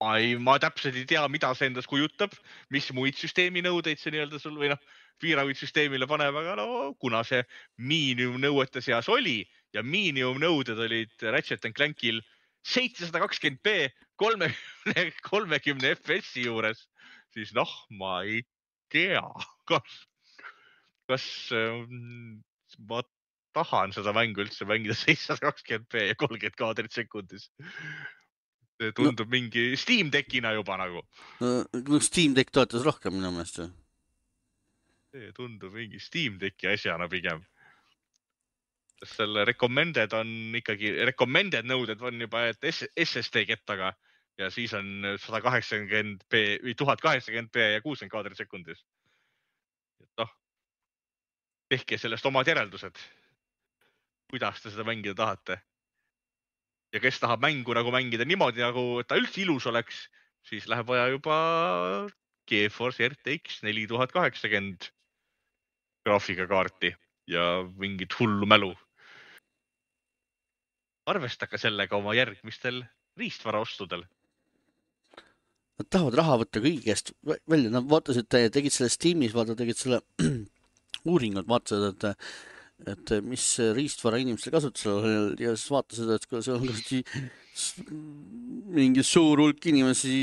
ma, ei, ma täpselt ei tea, mida see endas kujutab, mis muid süsteemi nõudeid see nii-öelda sul või noh, piiranguid süsteemile paneb, aga no kuna see miinimumnõuete seas oli ja miinimumnõuded olid Ratchet and Clankil seitsesada kakskümmend p kolmekümne, kolmekümne F S I juures, siis noh, ma ei tea, kas, kas ma tahan seda mängu üldse mängida seitsesada kakskümmend p ja kolmkümmend kaadrit sekundis. See tundub no, mingi Steam Deckina juba nagu. No, Steam Deck toetas rohkem minu meelest. See tundub mingi Steam Decki asjana pigem. Selle recommended on ikkagi, recommended nõuded on juba et S S D kettaga ja siis on sada kaheksakümmend p või tuhat kaheksakümmend p ja kuuskümmend kaadrit sekundis. Et noh, tehke sellest omad järeldused. Kuidas te seda mängida tahate? Ja kes tahab mängu nagu mängida niimoodi, nagu ta üldse ilus oleks, siis läheb vaja juba GeForce R T X neli tuhat kaheksakümmend graafikakaarti ja mingit hullu mälu. Arvestage sellega oma järgmistel riistvaraostudel. Nad tahavad raha võtta kõigest välja. Nad vaatasid, tegid selle Steamis, vaata, tegid selle uuringud, vaatasid, et, et mis riistvara inimestel kasutusel ja siis vaatasid, et see on mingi suur hulk inimesi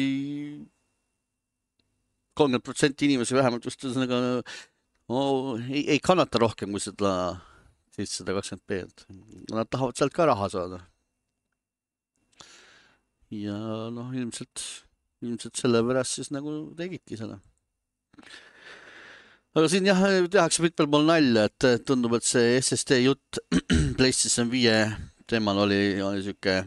kolmkümmend protsenti inimesi vähemalt just ühesõnaga oh, ei, ei kannata rohkem kui seda seitsesada kakskümmend B, et nad tahavad sealt ka raha saada. Ja noh, ilmselt, ilmselt selle pärast siis nagu tegidki seda. Aga siin jah, tehakse mitmel pool nalja, et tundub, et see S S D jutt PlayStation viie teemal oli, oli siuke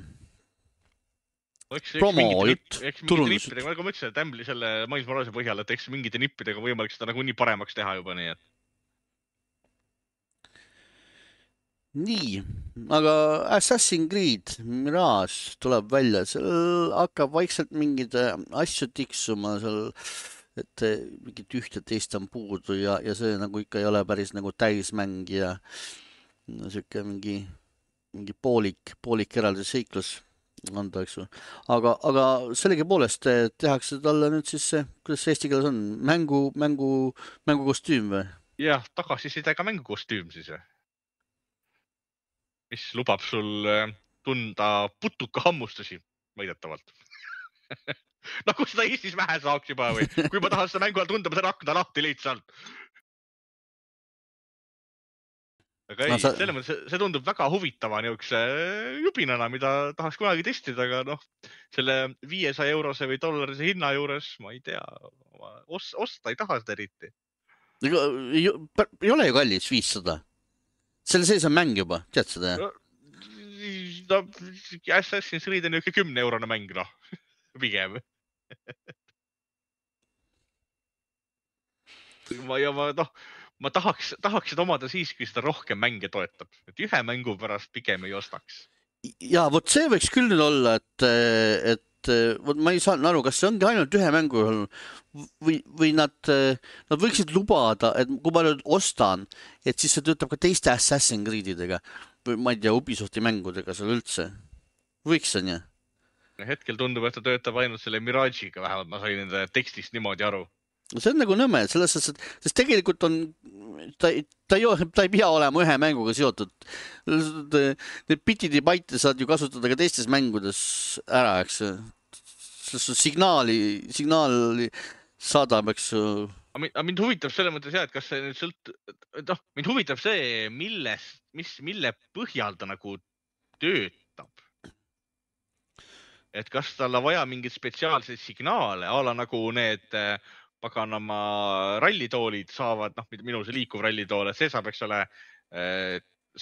promo jutt, turundus. Nagu ma ütlesin, et Ämbli selle Miles Moralese põhjal, et eks mingite nippidega võimalik seda nagu nii paremaks teha juba nii, et nii, aga Assassin's Creed Mirage tuleb välja, seal hakkab vaikselt mingid asju tiksuma seal, et mingit ühte teist on puudu ja, ja see nagu ikka ei ole päris nagu täismäng ja siuke mingi, mingi poolik, poolik eraldi seiklus anda, eks ju. Aga, aga sellegi poolest tehakse talle nüüd siis see, kuidas see eesti keeles on, mängu, mängu, mängukostüüm või? Jah, tagasisidega mängukostüüm siis või? Mis lubab sul tunda putuka hammustusi väidetavalt. Nagu seda Eestis vähe saaks juba või? Kui ma tahan seda mängu all tunda, ma saan akna lahti lihtsalt. Aga ei, no, sa... selle mõttes see tundub väga huvitava niisuguse jubinana, mida tahaks kunagi testida, aga noh, selle viiesaja eurose või dollarise hinna juures, ma ei tea, os osta ei taha seda eriti. Ei, ei ole ju kallis viissada. Selle sees on mäng juba, tead seda? No, no, Assassin's Creed on niisugune kümne eurone mäng, noh, pigem. ma, ja ma, noh, ma tahaks, tahaks seda omada siis, kui seda rohkem mänge toetab. Et ühe mängu pärast pigem ei ostaks. Ja, vot see võiks küll nüüd olla, et, et vot ma ei saanud aru, kas see ongi ainult ühe mängu või, või nad, nad võiksid lubada, et kui ma nüüd ostan, et siis see töötab ka teiste Assassin's Creedidega või ma ei tea, Ubisofti mängudega seal üldse. Võiks on ja? Hetkel tundub, et ta töötab ainult selle Mirage'iga, vähemalt ma sain nende tekstist niimoodi aru. See on nagu nõme, selles mõttes, et sest tegelikult on, ta, ta, ei, ta ei pea olema ühe mänguga seotud. Need bitid ja baite saad ju kasutada ka teistes mängudes ära, eks. Signaali, signaali saadab, eks. Aga mind huvitab selle mõttes jah, et kas see nüüd sõlt... noh, mind huvitab see, milles, mis, mille põhjal ta nagu töötab. Et kas tal on vaja mingid spetsiaalseid signaale, ala nagu need paganama rallitoolid saavad, noh, minu see liikuv rallitool, et see saab, eks ole,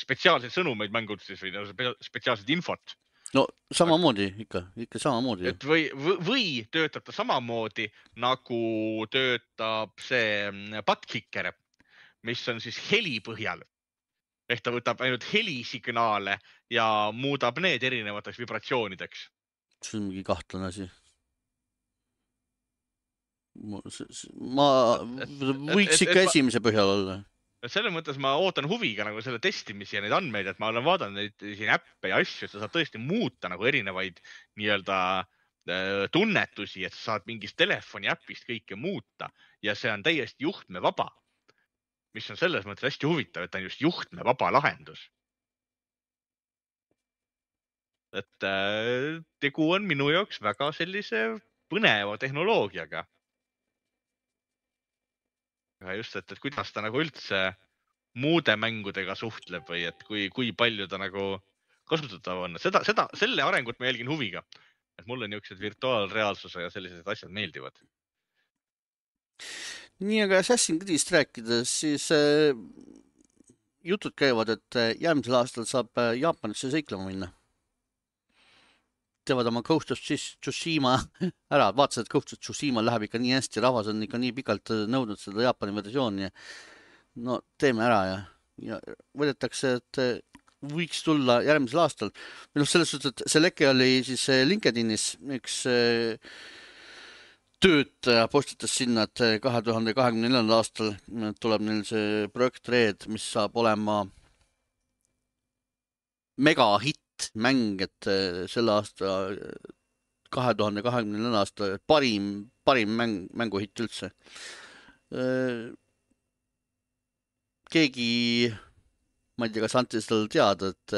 spetsiaalseid sõnumeid mängudest või spetsiaalset infot. No samamoodi ikka, ikka samamoodi. Et või, või töötab ta samamoodi, nagu töötab see Butkicker, mis on siis heli põhjal. Ehk ta võtab ainult helisignaale ja muudab need erinevateks vibratsioonideks. See on mingi kahtlane asi. Ma, ma võiks ikka esimese põhjal olla. Selles mõttes ma ootan huviga nagu selle testimisi ja neid andmeid, et ma olen vaadanud neid siin äppe ja asju, et sa saad tõesti muuta nagu erinevaid nii-öelda tunnetusi, et sa saad mingist telefoni äpist kõike muuta ja see on täiesti juhtmevaba, mis on selles mõttes hästi huvitav, et ta on just juhtmevaba lahendus. Et tegu on minu jaoks väga sellise põneva tehnoloogiaga. Ja just, et, et kuidas ta nagu üldse muude mängudega suhtleb või et kui, kui palju ta nagu kasutatav on. Seda, seda, selle arengut ma jälgin huviga. Et mulle niisugused virtuaalreaalsuse ja sellised asjad meeldivad. Nii, aga Assassin's Creed'ist rääkides, siis äh, jutud käivad, et järgmisel aastal saab Jaapanisse seiklema minna. Teevad oma Ghost of Tsushima ära, vaatasid, et Ghost of Tsushima läheb ikka nii hästi, rahvas on ikka nii pikalt nõudnud seda Jaapani versiooni. No teeme ära ja, ja võetakse, et võiks tulla järgmisel aastal. Või noh, selles suhtes, et see leke oli siis LinkedInis üks töötaja postitas sinna, et kahe tuhande kahekümne neljandal aastal tuleb neil see projekt Red, mis saab olema megahitt mäng, et selle aasta kahe tuhande kahekümne neljandal aasta parim, parim mäng, mänguhitt üldse. Keegi, ma ei tea, kas anti seda teada, et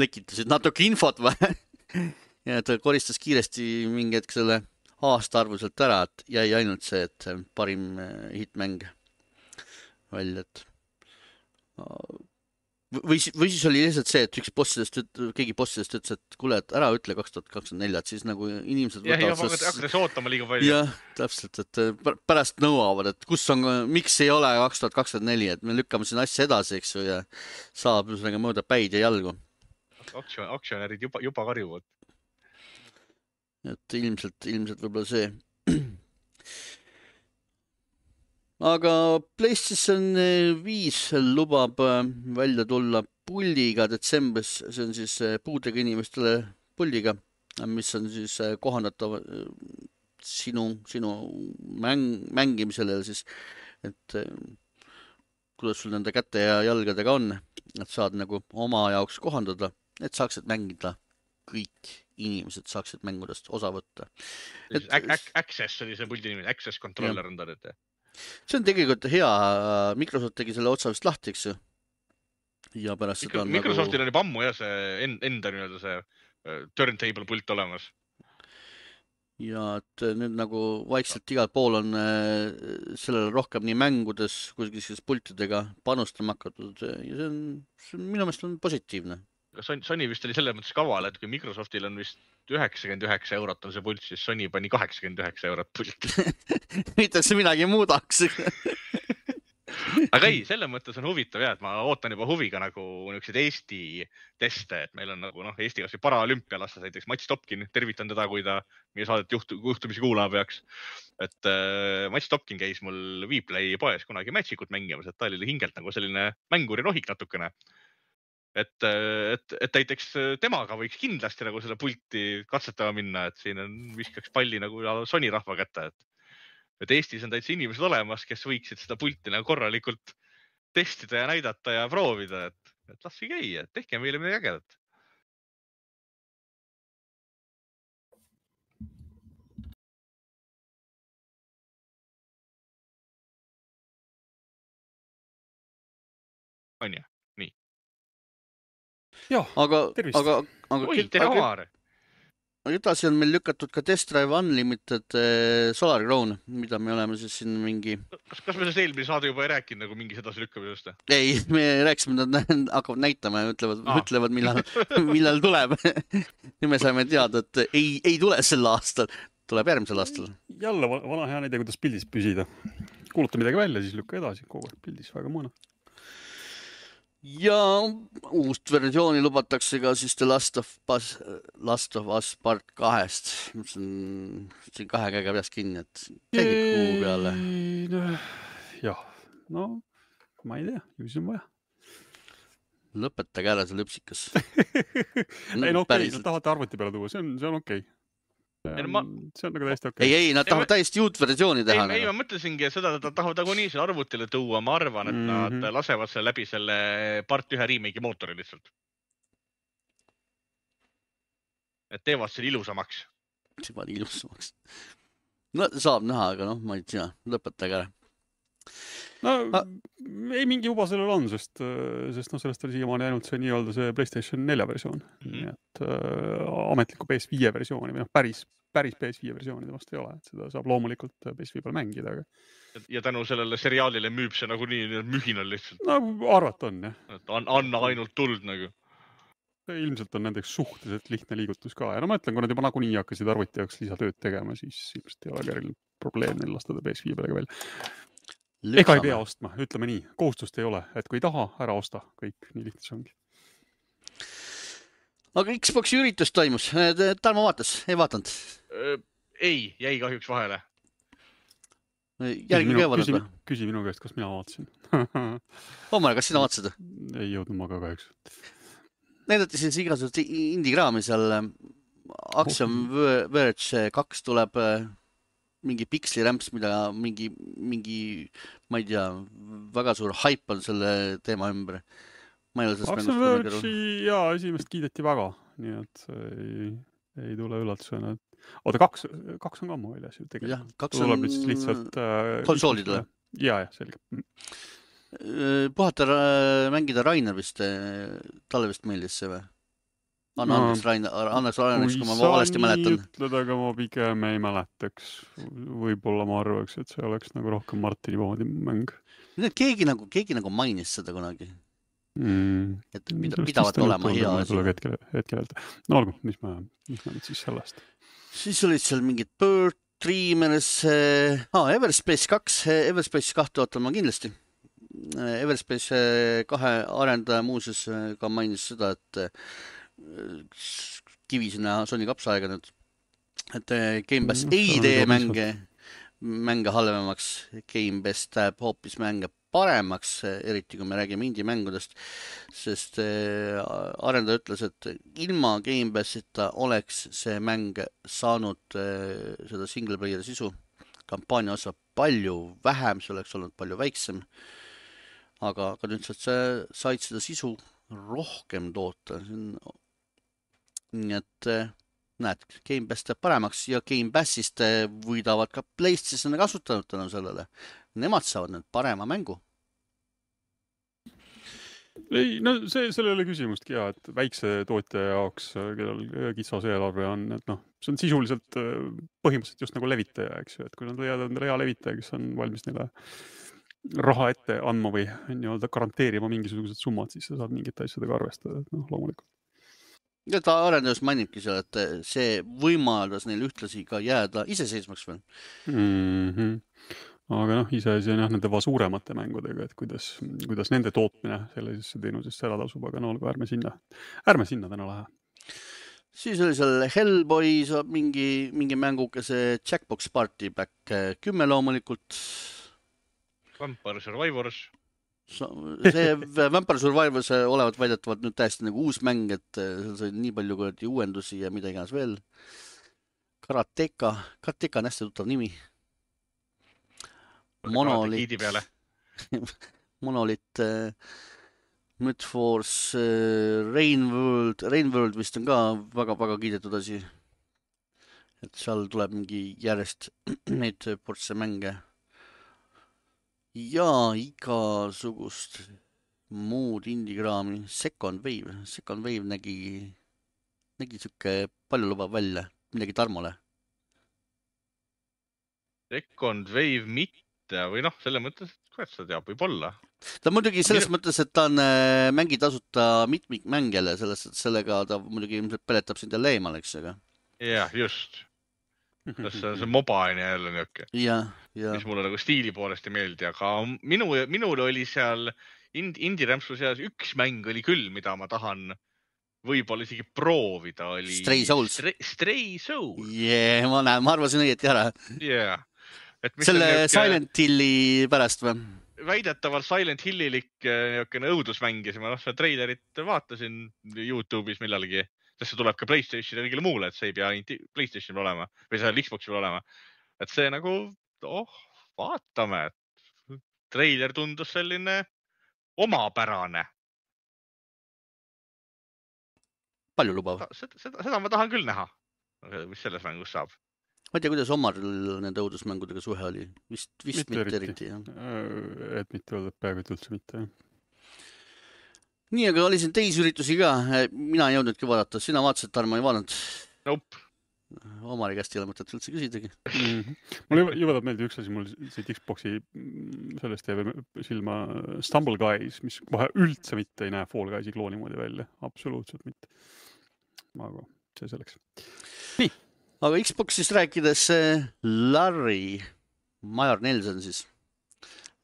lekitasid natuke infot või? Ja ta koristas kiiresti mingi hetk selle aastaarvuselt ära, et jäi ainult see, et parim hitmäng välja, et või, või siis oli lihtsalt see, et üks bossidest, keegi bossidest ütles, et kuule, et ära ütle kaks tuhat kakskümmend neli, et siis nagu inimesed jah, jah, hakkas ootama liiga palju. Jah, täpselt, et pärast nõuavad, et kus on, miks ei ole kaks tuhat kakskümmend neli, et me lükkame siin asja edasi, eks ju, ja saab ühesõnaga mööda päid ja jalgu. Aktsion, aktsionärid juba, juba karjuvad. Et ilmselt, ilmselt võib-olla see. Aga PlayStation viis lubab välja tulla puldiga detsembris, see on siis puudega inimestele puldiga, mis on siis kohandatav sinu, sinu mäng, mängimisele siis, et kuidas sul nende käte ja jalgadega on, et saad nagu oma jaoks kohandada, et saaksid mängida kõik inimesed saaksid mängudest osa võtta. Et, Access oli see puldi nimi, Access Controller on ta nüüd. See on tegelikult hea, Microsoft tegi selle otsa vist lahti, eks ju. Ja pärast seda on Microsoftil nagu... oli pammu ja see enda nii-öelda see turntable pult olemas. Ja et nüüd nagu vaikselt igal pool on sellele rohkem nii mängudes kui siis pultidega panustama hakatud ja see on, see on minu meelest on positiivne. Sony vist oli selles mõttes kaval, et kui Microsoftil on vist üheksakümmend üheksa eurot on see pult, siis Sony pani kaheksakümmend üheksa eurot pult. Mitte see midagi muudaks. Aga ei, selles mõttes on huvitav jah, et ma ootan juba huviga nagu niisugused Eesti teste, et meil on nagu noh, Eesti kas või paraolümpialastes näiteks Mats Topkin, tervitan teda, kui ta meie saadet juhtu, juhtumisi kuulama peaks. Et äh, Mats Topkin käis mul Vplay poes kunagi Magic'ut mängimas, et ta oli hingelt nagu selline mänguri rohik natukene. Et, et, et näiteks temaga võiks kindlasti nagu selle pulti katsetama minna, et siin on viskaks palli nagu Sony rahva kätte, et, et Eestis on täitsa inimesed olemas, kes võiksid seda pulti nagu korralikult testida ja näidata ja proovida, et, et laske käia, et tehke meile midagi ägedat. On ju? Nii. Joo, aga, tervist. aga, aga, Oi, tere Omar. Edasi on meil lükatud ka Test Drive Unlimited Solar Crown, mida me oleme siis siin mingi... Kas, kas me sellest eelmine saade juba ei rääkinud nagu mingis edasi lükkamisest? Ei, me rääkisime, nad hakkavad näitama ja ütlevad, ah. ütlevad millal, millal tuleb. Ja me saime teada, et ei, ei tule sel aastal, tuleb järgmisel aastal. Jälle vana hea näide, kuidas pildis püsida. Kuuluta midagi välja, siis lükka edasi, kogu aeg pildis, väga mõna. Ja uust versiooni lubatakse ka siis The Last of Us, Last of Us part kahest. See on siin kahe käega peast kinni, et käigib kuu peale. Jah, no ma ei tea, ju see on vaja. Lõpetage ära see lõpsikas. No, ei no okei, okay, nad tahavad arvuti peale tuua, see on, see on okei. Okay. See on, ma... see on nagu täiesti okei. Okay. Ei, ei, nad tahavad täiesti uut versiooni teha. Ei, ei ma mõtlesingi, et seda nad tahavad nagu nii selle arvutile tuua. Ma arvan, et mm -hmm. nad lasevad selle läbi selle part ühe remake mootori lihtsalt. Et teevad selle ilusamaks. Teevad ilusamaks. No saab näha, aga noh, ma ei tea, lõpetage ära. No ah. ei mingi juba sellel on, sest, sest no sellest oli siiamaani ainult see nii-öelda see PlayStation nelja versioon. Mm. Nii et äh, ametliku P S viie versiooni, või noh, päris, päris P S viie versiooni temast ei ole. Et seda saab loomulikult P S viie peal mängida. Aga... Ja tänu sellele seriaalile müüb see nagu nii mühinal lihtsalt. No arvat on, jah. Et anna ainult tuld nagu. Ilmselt on nendeks suhteliselt lihtne liigutus ka. Ja no ma ütlen, kui nad juba nagunii hakkasid arvuti jaoks lisatööd tegema, siis ilmselt ei ole keril probleem neil lastada P S viie pealega välja. Lükkame. Ega ei pea ostma, ütleme nii. Kohustust ei ole, et kui ei taha, ära osta. Kõik, nii lihtne see ongi. Aga Xboxi üritus toimus. Tarmo vaatas, ei vaatanud? Ei, jäi kahjuks vahele. Järgi ka vaadata? Küsi, küsi minu käest, kas mina vaatasin. Omar, kas sina vaatasid? Ei jõudnud ma ka kahjuks. Näidati siis igasugust indikraami seal. Axiom Verge kaks tuleb mingi pikslirämps, mida mingi, mingi, ma ei tea, väga suur haip on selle teema ümber. Ma ei ole sellest Axiom Verge'i, jaa, esimest kiideti väga. Nii et ei, ei tule üllatusena. Oota, kaks, kaks on ka ammu väljas ju tegelikult. Jah, kaks on lihtsalt, konsoolidele. Jaa, jah, selge. Puhata mängida Rainer vist, talle vist meeldis see või? Anna no, andeks, Rain, andeks Raineks, kui ma valesti mäletan. Ütled, aga ma pigem ei mäletaks. Võib-olla ma arvaks, et see oleks nagu rohkem Martini moodi mäng. Keegi nagu, keegi nagu mainis seda kunagi. Mm. Et pida, pidavat olema hea asi. Hetkel, hetkel öelda. No olgu, mis ma, mis ma nüüd siis sellest? Siis olid seal mingid Bird, Dreamers, ah, Everspace kaks, Everspace kahte ootan ma kindlasti. Everspace kahe arendaja muuseas ka mainis seda, et kivi sinna Sony kapsaaega nüüd, et Game Pass no, ei tee mänge, mänge halvemaks, Game Pass täheb hoopis mänge paremaks, eriti kui me räägime indie-mängudest, sest arendaja ütles, et ilma Game Passita oleks see mäng saanud seda single player sisu, kampaania osa palju vähem, see oleks olnud palju väiksem, aga, aga nüüd sa said seda sisu rohkem toota, see on nii et näed, Game Pass teeb paremaks ja Game Passist võidavad ka PlayStation kasutanud tänu sellele. Nemad saavad nüüd parema mängu. Ei, no see, selle oli küsimustki ja, et väikse tootja jaoks, kellel kitsas eelarve on, et noh, see on sisuliselt põhimõtteliselt just nagu levitaja, eks ju, et kui nad leiavad endale hea levitaja, kes on valmis neile raha ette andma või nii-öelda garanteerima mingisugused summad, siis sa saad mingite asjadega arvestada, et noh, loomulikult. Ja ta arendajus mainibki seal, et see võimaldas neil ühtlasi ka jääda iseseismaks veel. Mm-hmm. Aga noh, iseasi on jah nende suuremate mängudega, et kuidas, kuidas nende tootmine sellisesse teenusesse ära tasub, aga no olgu, ärme sinna, ärme sinna täna lähe. Siis oli seal Hellboy saab mingi, mingi mänguke, see Jackbox Party Pack kümme loomulikult. Vampire Survivors. See Vampire Survivors olevat väidetavalt nüüd täiesti nagu uus mäng, et seal sai nii palju kui uuendusi ja mida iganes veel. Karateka, Karateka on hästi tuttav nimi. Monolit, Monolit, Midforce, Rainworld, Rainworld vist on ka väga-väga kiidetud asi. Et seal tuleb mingi järjest neid portse mänge. Ja igasugust muud indigraami. Second Wave. Second Wave nägi, nägi siuke palju lubab välja. Midagi Tarmole. Second Wave mitte või noh, selle mõttes, et kuidas seda teab, võib olla. Ta muidugi selles Minu... mõttes, et ta on mängi tasuta mitmik mängijale, selles, et sellega ta muidugi ilmselt peletab sind jälle eemal, eks aga. Jah, just. See on see mobaine jälle niuke. Ja, ja. Mis mulle nagu stiili poolest ei meeldi, aga minu, minul oli seal indie-rämpsu seas üks mäng oli küll, mida ma tahan võib-olla isegi proovida. Oli Stray Souls. Stray, Stray Souls. Jee, ma näen, ma arvasin õieti ära. Yeah. Selle niuke... Silent Hilli pärast või? Väidetavalt Silent Hillilik õudusmäng ja ma noh, seda treilerit vaatasin YouTube'is millalgi. Sest see tuleb ka PlayStation ja kõigile muule, et see ei pea PlayStation olema või seal Xboxil olema. Et see nagu, oh, vaatame. Treiler tundus selline omapärane. Palju lubav. Seda, seda, seda ma tahan küll näha, mis selles mängus saab. Ma ei tea, kuidas Omar nende õudusmängudega suhe oli. Vist, vist mitte, mitte eriti. Et mitte öelda, et peaaegu üldse mitte. Nii, aga oli siin teisi üritusi ka. Mina ei jõudnudki vaadata. Sina vaatasid, Tarmo ei vaadanud? Nope. Omari käest ei ole mõtet üldse küsidagi. Mm-hmm. Mul juba tahab meeldi üks asi, mul see Xboxi sellest teeb silma Stumble Guys, mis kohe üldse mitte ei näe Fall Guysi klooni moodi välja. Absoluutselt mitte. Aga see selleks. Nii. Aga Xboxist rääkides Larry Major Nelson siis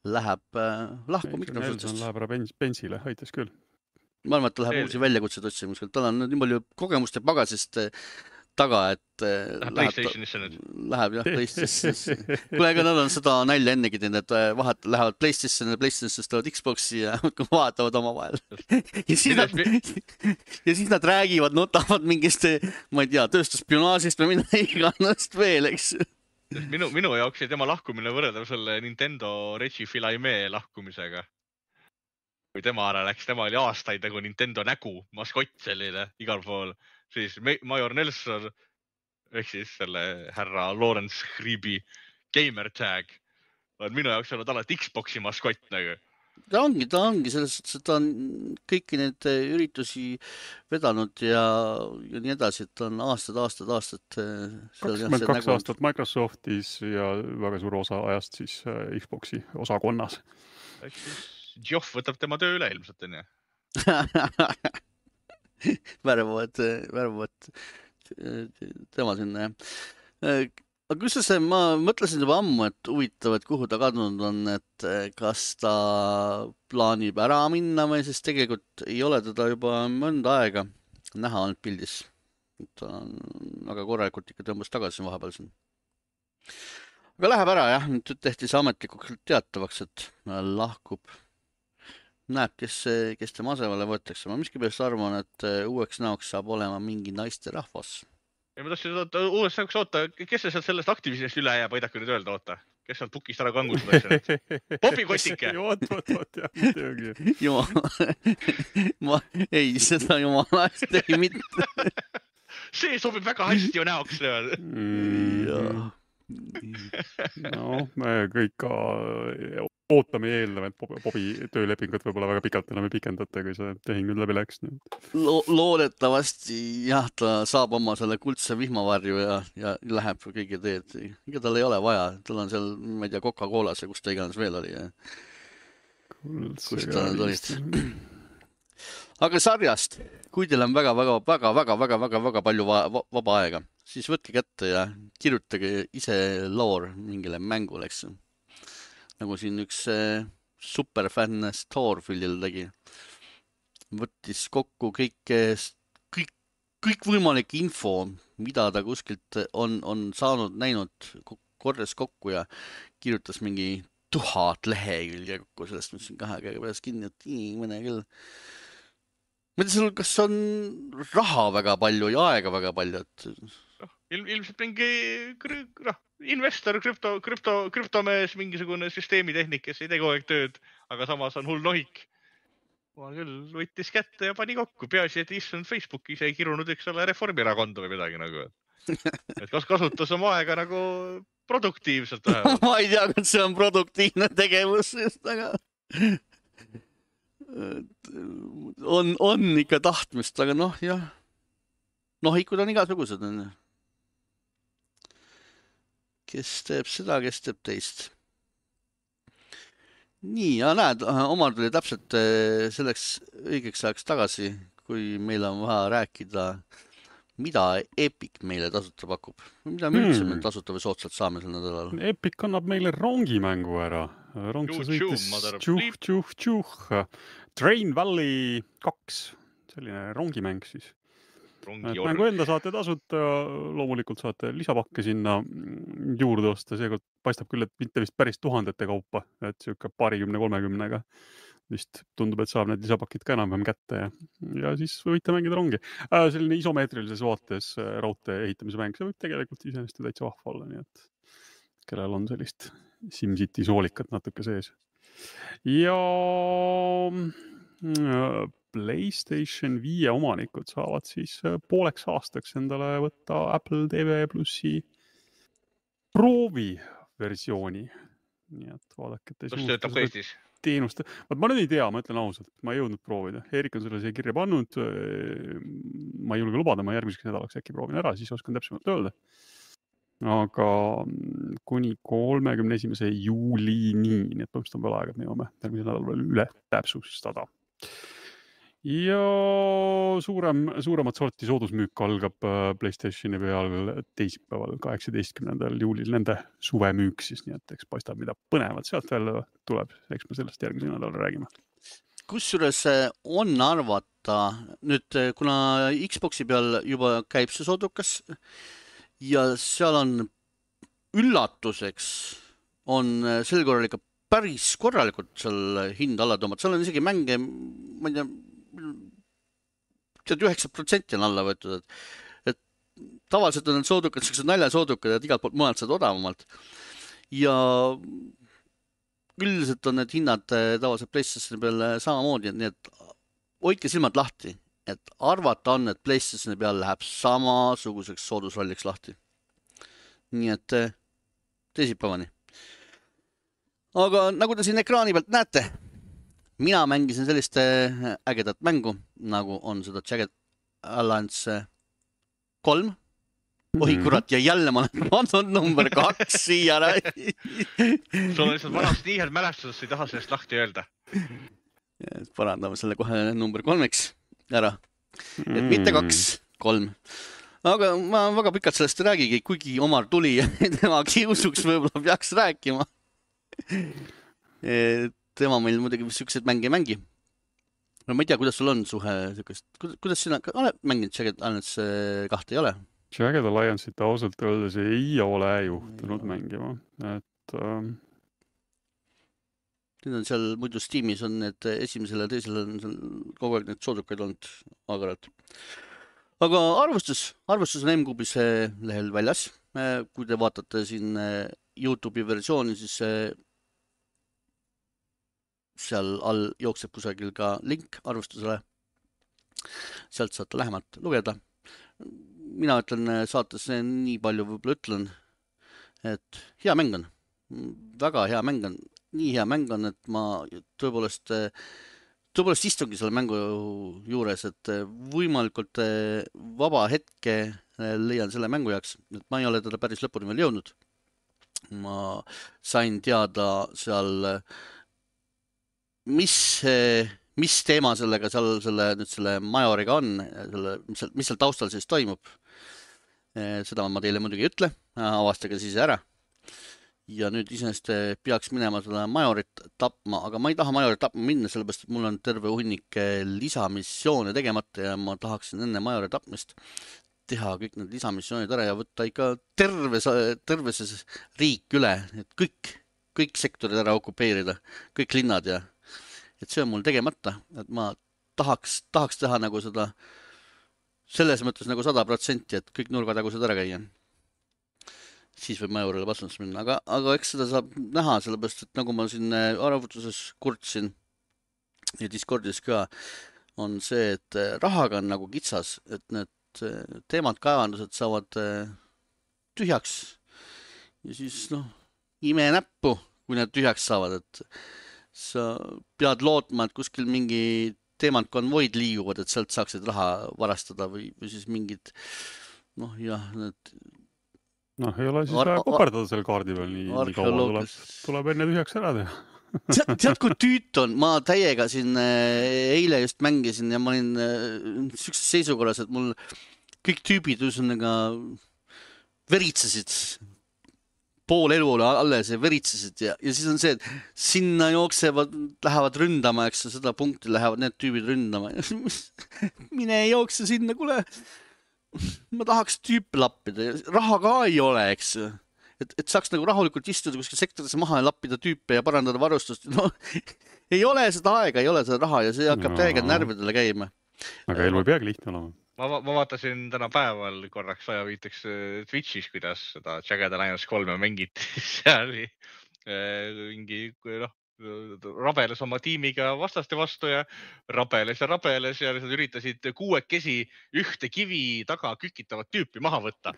läheb äh, lahku Microsoftist. Nelson läheb ära bensile, aitas küll. Ma arvan, et ta läheb uusi väljakutseid otsima. Tal on nii palju kogemust ja pagasist taga, et läheb PlayStationisse nüüd. Läheb jah, PlayStationisse. Kule, ega nad on seda nalja ennegi teinud, et vahet lähevad PlayStationisse, PlayStationisse tulevad Xboxi ja vaatavad oma vahel. Ja siis, nad, ja siis nad räägivad, notavad mingist, ma ei tea, tööstuspionaažist või mida iganast veel, eks. Minu, minu jaoks ei tema lahkumine võrreldav selle Nintendo Reggie Fils-Aimee lahkumisega. Kui tema ära läks, tema oli aastaid nagu Nintendo nägu, maskott selline igal pool. Siis Major Nelson, ehk siis selle härra Lawrence Hribi gamer tag, on minu jaoks olnud alati Xboxi maskott nagu. ta ongi, ta ongi selles suhtes, et ta on kõiki neid üritusi vedanud ja, ja nii edasi, et ta on aastad, aastad, aastad kakskümmend kaks aastat Microsoftis ja väga suur osa ajast siis Xboxi osakonnas. Eks siis Geoff võtab tema töö üle ilmselt, on ju? Värvavad, värvavad tema sinna, jah. Aga kus see, ma mõtlesin juba ammu, et huvitav, et kuhu ta kadunud on, et kas ta plaanib ära minna või siis tegelikult ei ole teda juba mõnda aega näha olnud pildis. Ta on väga korralikult ikka tõmbas tagasi vahepeal siin. Aga läheb ära, jah. Nüüd tehti see ametlikult teatavaks, et lahkub. Näeb, kes, kes tema asemele võetakse. Ma miskipärast arvan, et uueks näoks saab olema mingi naiste rahvas. Ja ma tahtsin oota, uues näoks oota, kes see sealt sellest aktivisest üle jääb, aidake nüüd öelda, oota. Kes sealt pukist ära kangustas? Bobi Kotike! Oot, oot, oot, jah, teagi. Jumala. Ma ei, seda jumala hästi ei mitte. See sobib väga hästi ju näoks. Jaa. No, me kõik ka ootame ja eeldame, et Bobi töölepingut võib-olla väga pikalt enam ei pikendata, kui see tehing nüüd läbi läks. Lo loodetavasti jah, ta saab oma selle kuldse vihmavarju ja, ja läheb kõigi teed. Ega tal ei ole vaja. Tal on seal, ma ei tea, Coca-Colas ja kus ta iganes veel oli. Ja... kus ta nüüd olid. Aga sarjast, kui teil on väga, väga, väga, väga, väga, väga, väga palju va vaba aega, siis võtke kätte ja kirjutage ise loor mingile mängule, eks. Nagu siin üks superfänn Starfieldil tegi. Võttis kokku kõik, kõik, kõik võimalik info, mida ta kuskilt on, on saanud, näinud, korres kokku ja kirjutas mingi tuhat lehekülge kokku sellest, mis siin kahe käega pärast kinni, et mõne küll. Ma tea, sul kas on raha väga palju ja aega väga palju, et... Il, ilmselt mingi investor, krüpto, krüpto, krüptomees, mingisugune süsteemitehnik, kes ei tee kogu aeg tööd, aga samas on hull nohik. Ma küll võttis kätte ja pani kokku. Peaasi, et istunud Facebookis ei kirunud üks ole Reformierakonda või midagi nagu. Et kas kasutas oma aega nagu produktiivselt vähemalt? Ma ei tea, kas see on produktiivne tegevus, aga... On, on ikka tahtmist, aga noh, jah. Nohikud on igasugused. Kes teeb seda, kes teeb teist. Nii, ja näed, Omar tuli täpselt selleks õigeks ajaks tagasi, kui meil on vaja rääkida, mida Epic meile tasuta pakub. Mida me üldse hmm. tasuta või soodsalt saame sel nädalal? Epic annab meile rongimängu ära. Rong sa sõitis tšuh, tšuh, tšuh. Train Valley kaks. Selline rongimäng siis. Mängu enda saate tasuta, loomulikult saate lisapakke sinna juurde osta. Seekord paistab küll, et mitte vist päris tuhandete kaupa, et siuke paarikümne kolmekümnega vist tundub, et saab need lisapakid ka enam-vähem kätte ja, ja siis võite mängida rongi. Äh, selline isomeetrilises vaates raudtee ehitamise mäng, see võib tegelikult iseenesest täitsa vahva olla, nii et kellel on sellist SimCity soolikat natuke sees. Ja PlayStation viie omanikud saavad siis pooleks aastaks endale võtta Apple T V plussi prooviversiooni. Nii et vaadake, et kus töötab ka Eestis? Teenust. Ma nüüd ei tea, ma ütlen ausalt, ma ei jõudnud proovida. Erik on selle siia kirja pannud. Ma ei julge lubada, ma järgmiseks nädalaks äkki proovin ära, siis oskan täpsemalt öelda. Aga kuni kolmekümne esimese juulini, nii et põhimõtteliselt on veel aega, et me jõuame järgmisel nädal veel üle täpsustada. Ja suurem, suuremat sorti soodusmüük algab PlayStationi peal teisipäeval kaheksateistkümnendal juulil nende suvemüük siis, nii et eks paistab, mida põnevat sealt veel tuleb, eks me sellest järgmisel nädal räägime. Kusjuures on arvata, nüüd kuna Xboxi peal juba käib see soodukas ja seal on üllatuseks on sel korral ikka päris korralikult seal hind alla tõmmata. Seal on isegi mänge, ma ei tea, tead üheksa protsenti on alla võetud, et, et tavaliselt on need soodukad, sellised naljasoodukad, et igalt poolt mujalt saad odavamalt. Ja üldiselt on need hinnad tavaliselt PlayStationi peal samamoodi, nii et hoidke silmad lahti, et arvata on, et PlayStationi peal läheb samasuguseks soodusralliks lahti. Nii et teisipäevani. Aga nagu te siin ekraani pealt näete, mina mängisin sellist ägedat mängu, nagu on seda Jagged Alliance kolm. Oi kurat, ja jälle ma olen pandud number kaks siia. Sul on lihtsalt vanast nii head mälestusest, ei taha sellest lahti öelda. Parandame selle kohe number kolmeks ära. Et mitte kaks, kolm. Aga ma väga pikalt sellest räägigi, kuigi Omar tuli ja tema kiusuks võib-olla peaks rääkima. Tema meil muidugi siukseid mänge mängi. Ma ei tea, kuidas sul on suhe, kuidas sina oled mänginud Jagged Alliance kahte, ei ole? Jagged Alliance'it ausalt öeldes ei ole juhtunud mängima, et äh... nüüd on seal muidu Steamis on need esimesele ja teisele on seal kogu aeg need soodukaid olnud agaralt. Aga arvustus, arvustus on M-Kuubis lehel väljas. Kui te vaatate siin YouTube'i versiooni, siis seal all jookseb kusagil ka link arvustusele. Sealt saate lähemalt lugeda. Mina ütlen saates nii palju võib-olla ütlen, et hea mäng on. Väga hea mäng on. Nii hea mäng on, et ma tõepoolest, tõepoolest istungi selle mängu juures, et võimalikult vaba hetke leian selle mängu jaoks. Et ma ei ole teda päris lõpuni veel jõudnud. Ma sain teada seal, mis... mis teema sellega seal selle, nüüd selle Majoriga on, selle, mis, seal, mis seal taustal siis toimub. Seda ma teile muidugi ei ütle, avastage siis ära. Ja nüüd iseenesest peaks minema seda Majorit tapma, aga ma ei taha Majorit tapma minna, sellepärast, et mul on terve hunnik lisamissioone tegemata ja ma tahaksin enne Majori tapmist teha kõik need lisamissioonid ära ja võtta ikka terves, terves riik üle, et kõik, kõik sektorid ära okupeerida, kõik linnad ja et see on mul tegemata, et ma tahaks, tahaks teha nagu seda, selles mõttes nagu sada protsenti, et kõik nurgatagused ära käia. Siis võib Majorile vastuns minna, aga, aga eks seda saab näha, sellepärast, et nagu ma siin arvutuses kurtsin ja Discordis ka, on see, et rahaga on nagu kitsas, et need teemad kaevandused saavad tühjaks ja siis noh, ime näppu, kui need tühjaks saavad, et sa pead lootma, et kuskil mingi teemad konvoid liiguvad, et sealt saaksid raha varastada või, või siis mingid, noh jah, need... Noh, ei ole siis vaja koperdada selle kaardi peal nii, nii kaua tuleb, tuleb enne tühjaks ära teha. tead, tead, kui tüüt on? Ma täiega siin eile just mängisin ja ma olin sellises seisukorras, et mul kõik tüübid üsnaga veritsesid. Pool elu oli alles ja veritsesid ja, ja siis on see, et sinna jooksevad, lähevad ründama, eks seda punkti lähevad need tüübid ründama. Mine ei jookse sinna, kule. Ma tahaks tüüpe lappida. Raha ka ei ole, eks. Et, et saaks nagu rahulikult istuda kuskil sektorisse maha ja lappida tüüpe ja parandada varustust. No, ei ole seda aega, ei ole seda raha ja see hakkab no. täiega närvidele käima. Aga elu ei peagi lihtne olema. Ma, ma vaatasin täna päeval korraks aja viiteks Twitchis, kuidas seda Jagged Alliance kolme mängiti. Seal oli mingi noh, rabeles oma tiimiga vastaste vastu ja rabeles ja rabeles ja üritasid kuuekesi ühte kivi taga kükitavat tüüpi maha võtta.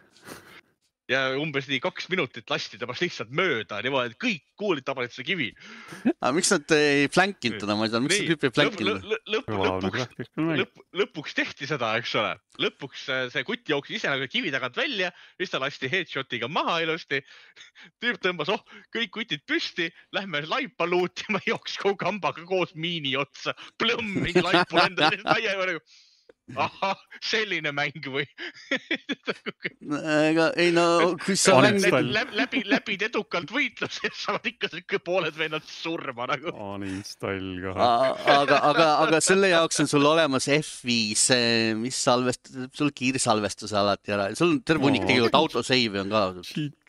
Ja umbes nii kaks minutit lasti temast lihtsalt mööda, niimoodi, et kõik kuulid tabasid seda kivi. Aga miks nad ei flankinud teda, ma ei tea, miks nad tüüpi ei flankinud? Lõp, lõp, lõpuks, lõp, lõpuks tehti seda, eks ole. Lõpuks see kutt jooksis ise nagu kivi tagant välja, siis ta lasti headshotiga maha ilusti. Tüüp tõmbas, oh, kõik kutid püsti, lähme laipa luutima, jooks kogu kambaga koos miini otsa, plõmm, mingi laipu lenda, aia juurde. Aha, selline mäng või? Ega, ei no, kui sa mängid... Läbi, läbid edukalt võitluses, saavad ikka pooled vennad surma nagu. Uninstall ka. Aga, aga, aga selle jaoks on sul olemas F viis, mis salvestab, sul kiirsalvestuse alati ära. Sul on terve unik tegelikult autosave on ka.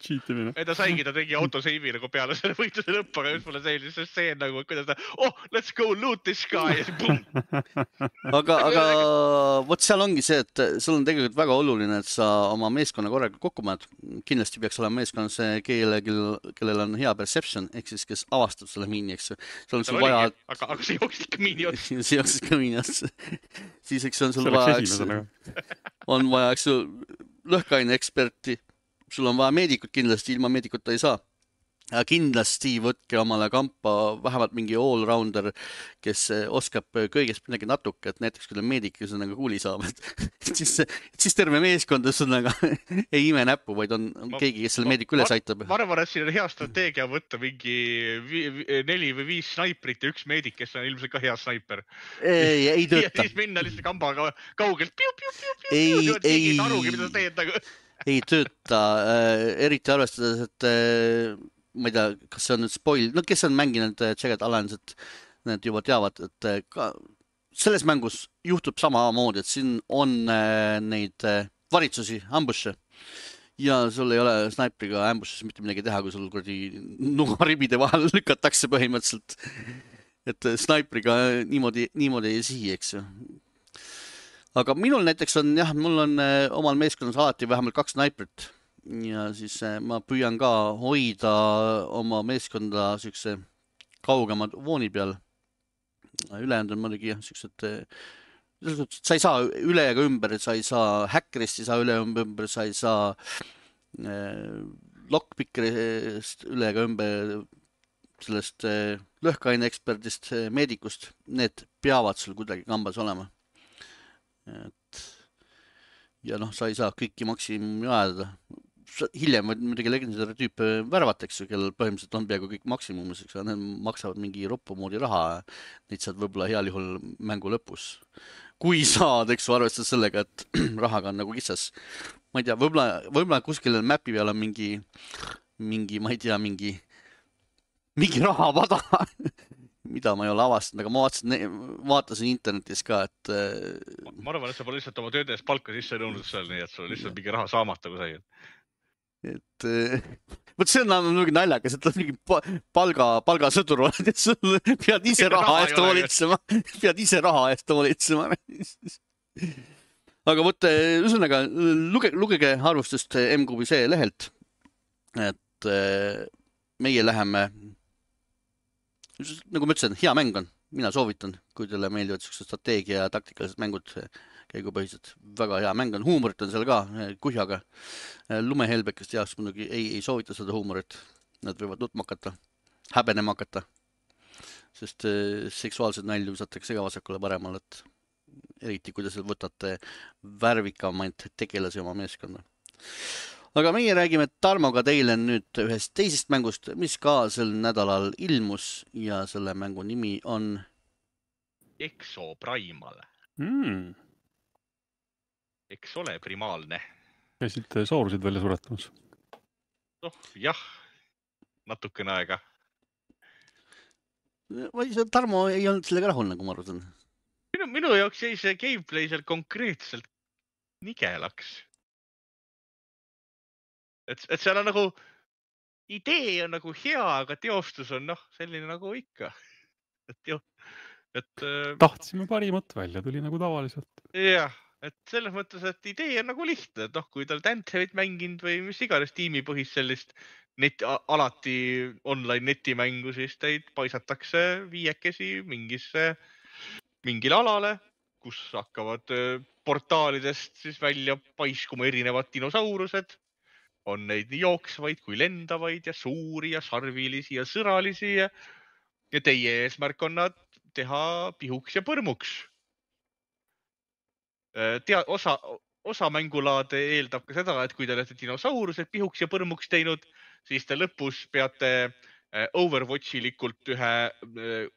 Cheatimine. Ei ta saigi, ta tegi autosave nagu peale selle võitluse lõppu, aga just mulle sellise seen nagu, kuidas ta, oh, let's go loot this guy ja siis boom. Aga, aga vot seal ongi see, et sul on tegelikult väga oluline, et sa oma meeskonna korraga kokku paned. Kindlasti peaks olema meeskonnas kelle, kellel on hea perception, ehk siis kes avastab selle miini, eks. Seal on sul vaja... Aga, aga see jooksis ikka miini otsa. See jooksis ikka miini otsa. Siis eks on sul vaja, eks, on vaja, eks, lõhkaine eksperti. Sul on vaja meedikut kindlasti, ilma meedikuta ei saa. Ja kindlasti võtke omale kampa vähemalt mingi all-rounder, kes oskab kõigest midagi natuke, et näiteks kui ta meedik ühesõnaga kuuli saab, et siis, siis terve meeskond ühesõnaga ei ime näppu, vaid on, on ma, keegi, kes selle meediku üles aitab. Ma arvan, et siin on hea strateegia võtta mingi vi, vi, neli või viis snaiprit ja üks meedik, kes on ilmselt ka hea snaiper. Ei, ei tööta. Ja siis minna lihtsalt kambaga kaugelt. Piu, piu, piu, piu, ei, piu, ei, ei arugi, mida sa teed nagu. Ei tööta, äh, eriti arvestades, et äh, ma ei tea, kas see on nüüd spoil, no kes on mänginud Jagged Alliance'it, need juba teavad, et ka selles mängus juhtub samamoodi, et siin on neid varitsusi, ambusse ja sul ei ole snaipriga ambusses mitte midagi teha, kui sul kuradi nugaribide vahel lükatakse põhimõtteliselt, et snaipriga niimoodi, niimoodi ei sihi, eks ju. Aga minul näiteks on, jah, mul on omal meeskonnas alati vähemalt kaks snaiprit. Ja siis ma püüan ka hoida oma meeskonda sükse kaugemad vooni peal. Ülejäänud on muidugi jah, süksed, sa ei saa üle ega ümber, sa ei saa häkkerist, ei saa üle ümber, sa ei saa lockpickerist üle ega ümber, sellest lõhkaine eksperdist, meedikust. Need peavad sul kuidagi kambas olema. Et ja noh, sa ei saa kõiki maksimumi ajada. Hiljem võid muidugi legendari tüüpe värvatakse, kellel põhimõtteliselt on peaaegu kõik maksimumis, eks, need maksavad mingi roppu moodi raha, neid saad võib-olla heal juhul mängu lõpus. Kui saad, eks, arvestad sellega, et rahaga on nagu kitsas. Ma ei tea, võib-olla, võib-olla kuskil mapi peal on mingi, mingi, ma ei tea, mingi, mingi rahapada, mida ma ei ole avastanud, aga ma vaatasin, vaatasin internetis ka, et... Ma arvan, et sa pole lihtsalt oma töödes palka sisse nõudnud seal, nii et sul lihtsalt mingi raha saamata kusagil. Et võt see on mingi naljakas, et mingi palga, palgasõdur oled, et sul pead ise raha eest hoolitsema, pead ise raha eest hoolitsema. Aga võtte, ühesõnaga, luge, lugege arvustust M Q B C lehelt, et meie läheme, nagu ma ütlesin, hea mäng on, mina soovitan, kui teile meeldivad strateegia ja taktikalised mängud, käigupõhised, väga hea mäng on, huumorit on seal ka, kuhjaga. Lumehelbekest jaoks muidugi ei, ei soovita seda huumorit, nad võivad nutma hakata, häbenema hakata, sest seksuaalsed nalju visatakse ka vasakule paremal, et eriti kui te võtate värvikamaid tegelasi oma meeskonda. Aga meie räägime Tarmoga teile nüüd ühest teisest mängust, mis ka sel nädalal ilmus ja selle mängu nimi on Exo Primal. Mm. Eks ole primaalne. Käisid soorusid välja suretamas? Oh, jah, natukene aega. Tarmo ei olnud sellega rahul, nagu ma arvan. Minu, minu jaoks jäi see gameplay seal konkreetselt nigelaks. Et, et seal on nagu, idee on nagu hea, aga teostus on noh, selline nagu ikka. Et, jo, et, tahtsime parimat välja, tuli nagu tavaliselt. Jah. Et selles mõttes, et idee on nagu lihtne, et noh, kui tal Danthevit mänginud või mis iganes tiimipõhist sellist net, alati online netimängu, siis teid paisatakse viiekesi mingisse, mingile alale, kus hakkavad portaalidest siis välja paiskuma erinevad dinosaurused. On neid nii jooksvaid kui lendavaid ja suuri ja sarvilisi ja sõralisi ja, ja teie eesmärk on nad teha pihuks ja põrmuks. Tea, osa, osa mängulaade eeldab ka seda, et kui te olete dinosaurused pihuks ja põrmuks teinud, siis te lõpus peate Overwatchilikult ühe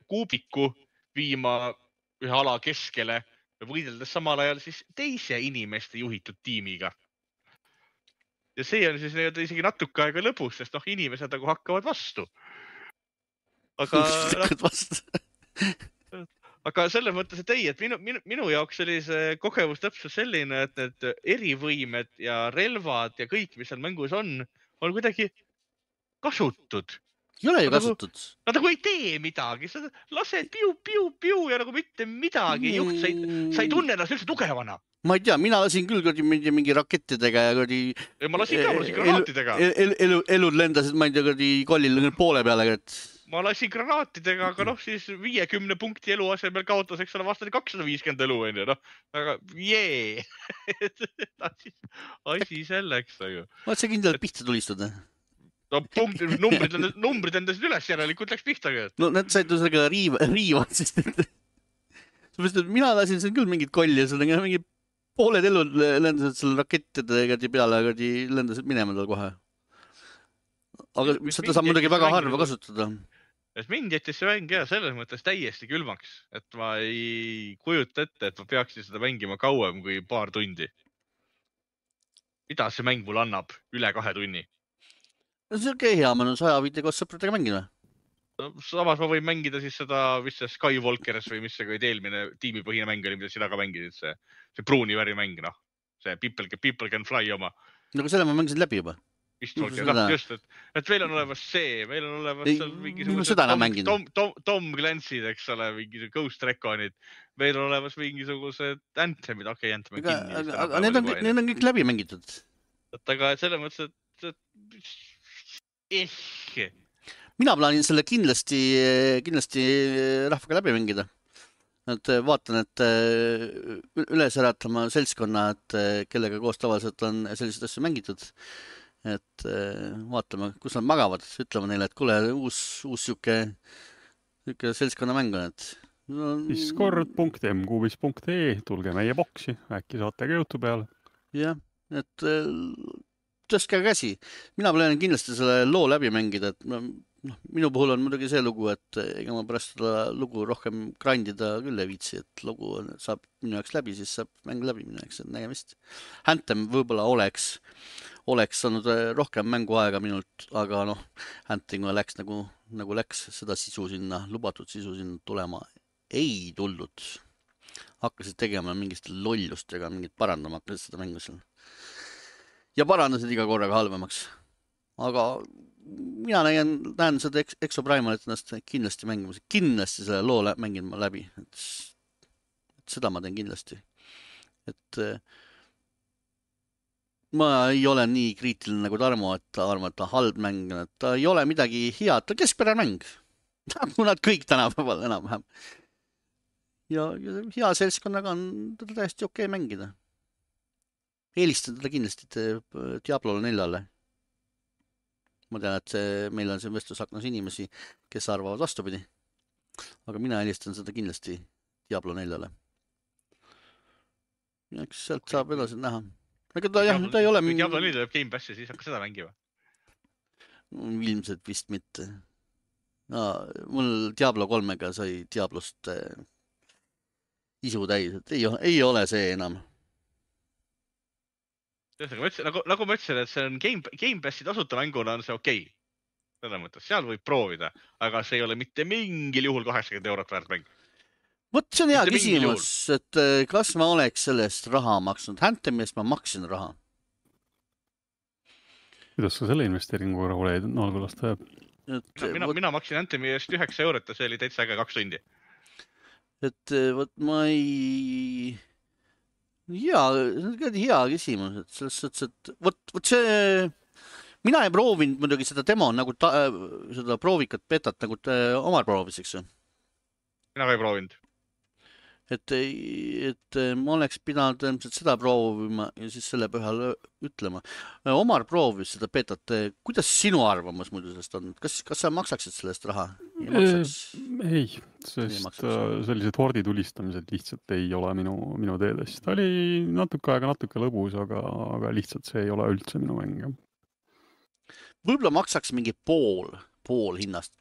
kuubiku viima ühe ala keskele võideldes samal ajal siis teise inimeste juhitud tiimiga. Ja see on siis isegi natuke aega lõpus, sest noh, inimesed nagu hakkavad vastu. Aga... Aga selles mõttes, et ei, et minu, minu, minu jaoks oli see kogemus täpselt selline, et need erivõimed ja relvad ja kõik, mis seal mängus on, on kuidagi kasutud. Ei ole ju kasutud. Nad nagu ei tee midagi, sa lased piu, piu, piu ja nagu mitte midagi ei juht, sa ei, sa ei tunne ennast üldse tugevana. Ma ei tea, mina lasin küll mingi, mingi rakettidega ja kõrdi... Ma lasin ka, ma lasin granaatidega. Elu, elu, elud lendasid, ma ei tea, kõrdi kollil poole peale, et... Ma lasin granaatidega, aga noh, siis viiekümne punkti elu asemel kaotas, eks ole, vastane kakssada viiskümmend elu, on ju, noh. Aga jee! Asi selleks, aga... Vaat see kindlalt pihta tulistada. no punkt, numbrid, numbrid endasid üles järelikult läks pihtagi. No need said ju sellega riiva, riivad, sest et mina lasin siin küll mingit kolli ja sellega mingi pooled elud lendasid selle rakettidega peale, aga lendasid minema tal kohe. Aga seda saab muidugi väga harva kasutada. Et mind jättis see mäng ja selles mõttes täiesti külmaks, et ma ei kujuta ette, et ma peaksin seda mängima kauem kui paar tundi. Mida see mäng mul annab üle kahe tunni? No see on okei hea, ma olen saja viite koos sõpradega mängida. No, samas ma võin mängida siis seda, mis see Skywalkeris või mis see kui eelmine tiimipõhine mäng oli, mida sina ka mängisid, see, see pruuni väri mäng, noh. See People, people Can Fly oma. No aga selle ma mängisin läbi juba. Just, et, et meil on olemas see, meil on olemas seal mingisugused Tom, Tom, Tom, Tom Clancy'd, eks ole, mingisugused Ghost Reconid, meil on olemas mingisugused Anthemid, okei, okay, Anthem on kinni. Aga, aga need, on, need on kõik läbi mängitud. Et aga selle mõttes, et, et ehk. Mina plaanin selle kindlasti, kindlasti rahvaga läbi mängida. Et vaatan, et üles äratama seltskonna, et kellega koos tavaliselt on sellised asju mängitud. Et vaatame, kus nad magavad, ütleme neile, et kuule, uus, uus siuke, siuke seltskonna mäng on, et no, discord punkt m kuubis punkt e, tulge meie boksi, äkki saate ka jutu peale. Jah, et tõstke käsi. Mina plaanin kindlasti selle loo läbi mängida, et no, minu puhul on muidugi see lugu, et ega ma pärast seda lugu rohkem grindida küll ei viitsi, et lugu saab minu jaoks läbi, siis saab mäng läbi minu jaoks, et nägemist. Anthem võib-olla oleks oleks saanud rohkem mänguaega minult, aga noh, Hunting läks nagu, nagu läks, seda sisu sinna, lubatud sisu sinna tulema ei tulnud. Hakkasid tegema mingist lollustega, mingit parandama hakkasid seda mängu seal. Ja parandasid iga korraga halvemaks. Aga mina näen, näen seda Exoprimalit ennast kindlasti mängimas. Kindlasti selle loo mängin ma läbi. Et, et seda ma teen kindlasti. Et ma ei ole nii kriitiline nagu Tarmo, et ta arvab, et ta halb mäng, et ta ei ole midagi head, ta keskpärane mäng. Nagu nad kõik tänapäeval enam-vähem. Ja, ja hea seltskonnaga on teda täiesti okei mängida. Eelistan teda kindlasti Diablo neljale. Ma tean, et see, meil on see vestlusaknas inimesi, kes arvavad vastupidi. Aga mina eelistan seda kindlasti Diablo neljale. Ja eks sealt saab edasi näha. Aga ta, jah, ta ei ole... Kui Diablo neli tuleb Game Passi, siis hakka seda mängima. Ilmselt vist mitte. No, mul Diablo kolmega sai Diablost äh, isu täis, et ei, ei ole see enam. Nagu, nagu ma ütlesin, et see on Game, Game Passi tasuta mänguna on see okei. Okay. Selle mõttes, seal võib proovida, aga see ei ole mitte mingil juhul kaheksakümmend eurot väärt mäng. Vot see on hea küsimus, et kas ma oleks sellest raha maksnud. Anthemist ma maksin raha. Kuidas sa selle investeeringu rahul jäid? No, kuidas ta jääb? Et, mina, võt... mina maksin Anthemi eest üheksa eurot ja see oli täitsa äge kaks tundi. Et vot ma ei... Hea, hea küsimus. Et selles suhtes, et vot, vot see... Mina ei proovinud muidugi seda demo, nagu ta, seda proovikat betat, nagu omar prooviseks. Mina ka ei proovinud. Et, et ma oleks pidanud seda proovima ja siis selle põhjal ütlema. Omar proovis seda betat. Kuidas sinu arvamus muidu sellest on? Kas, kas sa maksaksid sellest raha? Ei, ei sest sellised hordi tulistamised lihtsalt ei ole minu, minu teedest. Ta oli natuke aega natuke lõbus, aga, aga lihtsalt see ei ole üldse minu mäng. Võib-olla maksaks mingi pool, pool hinnast.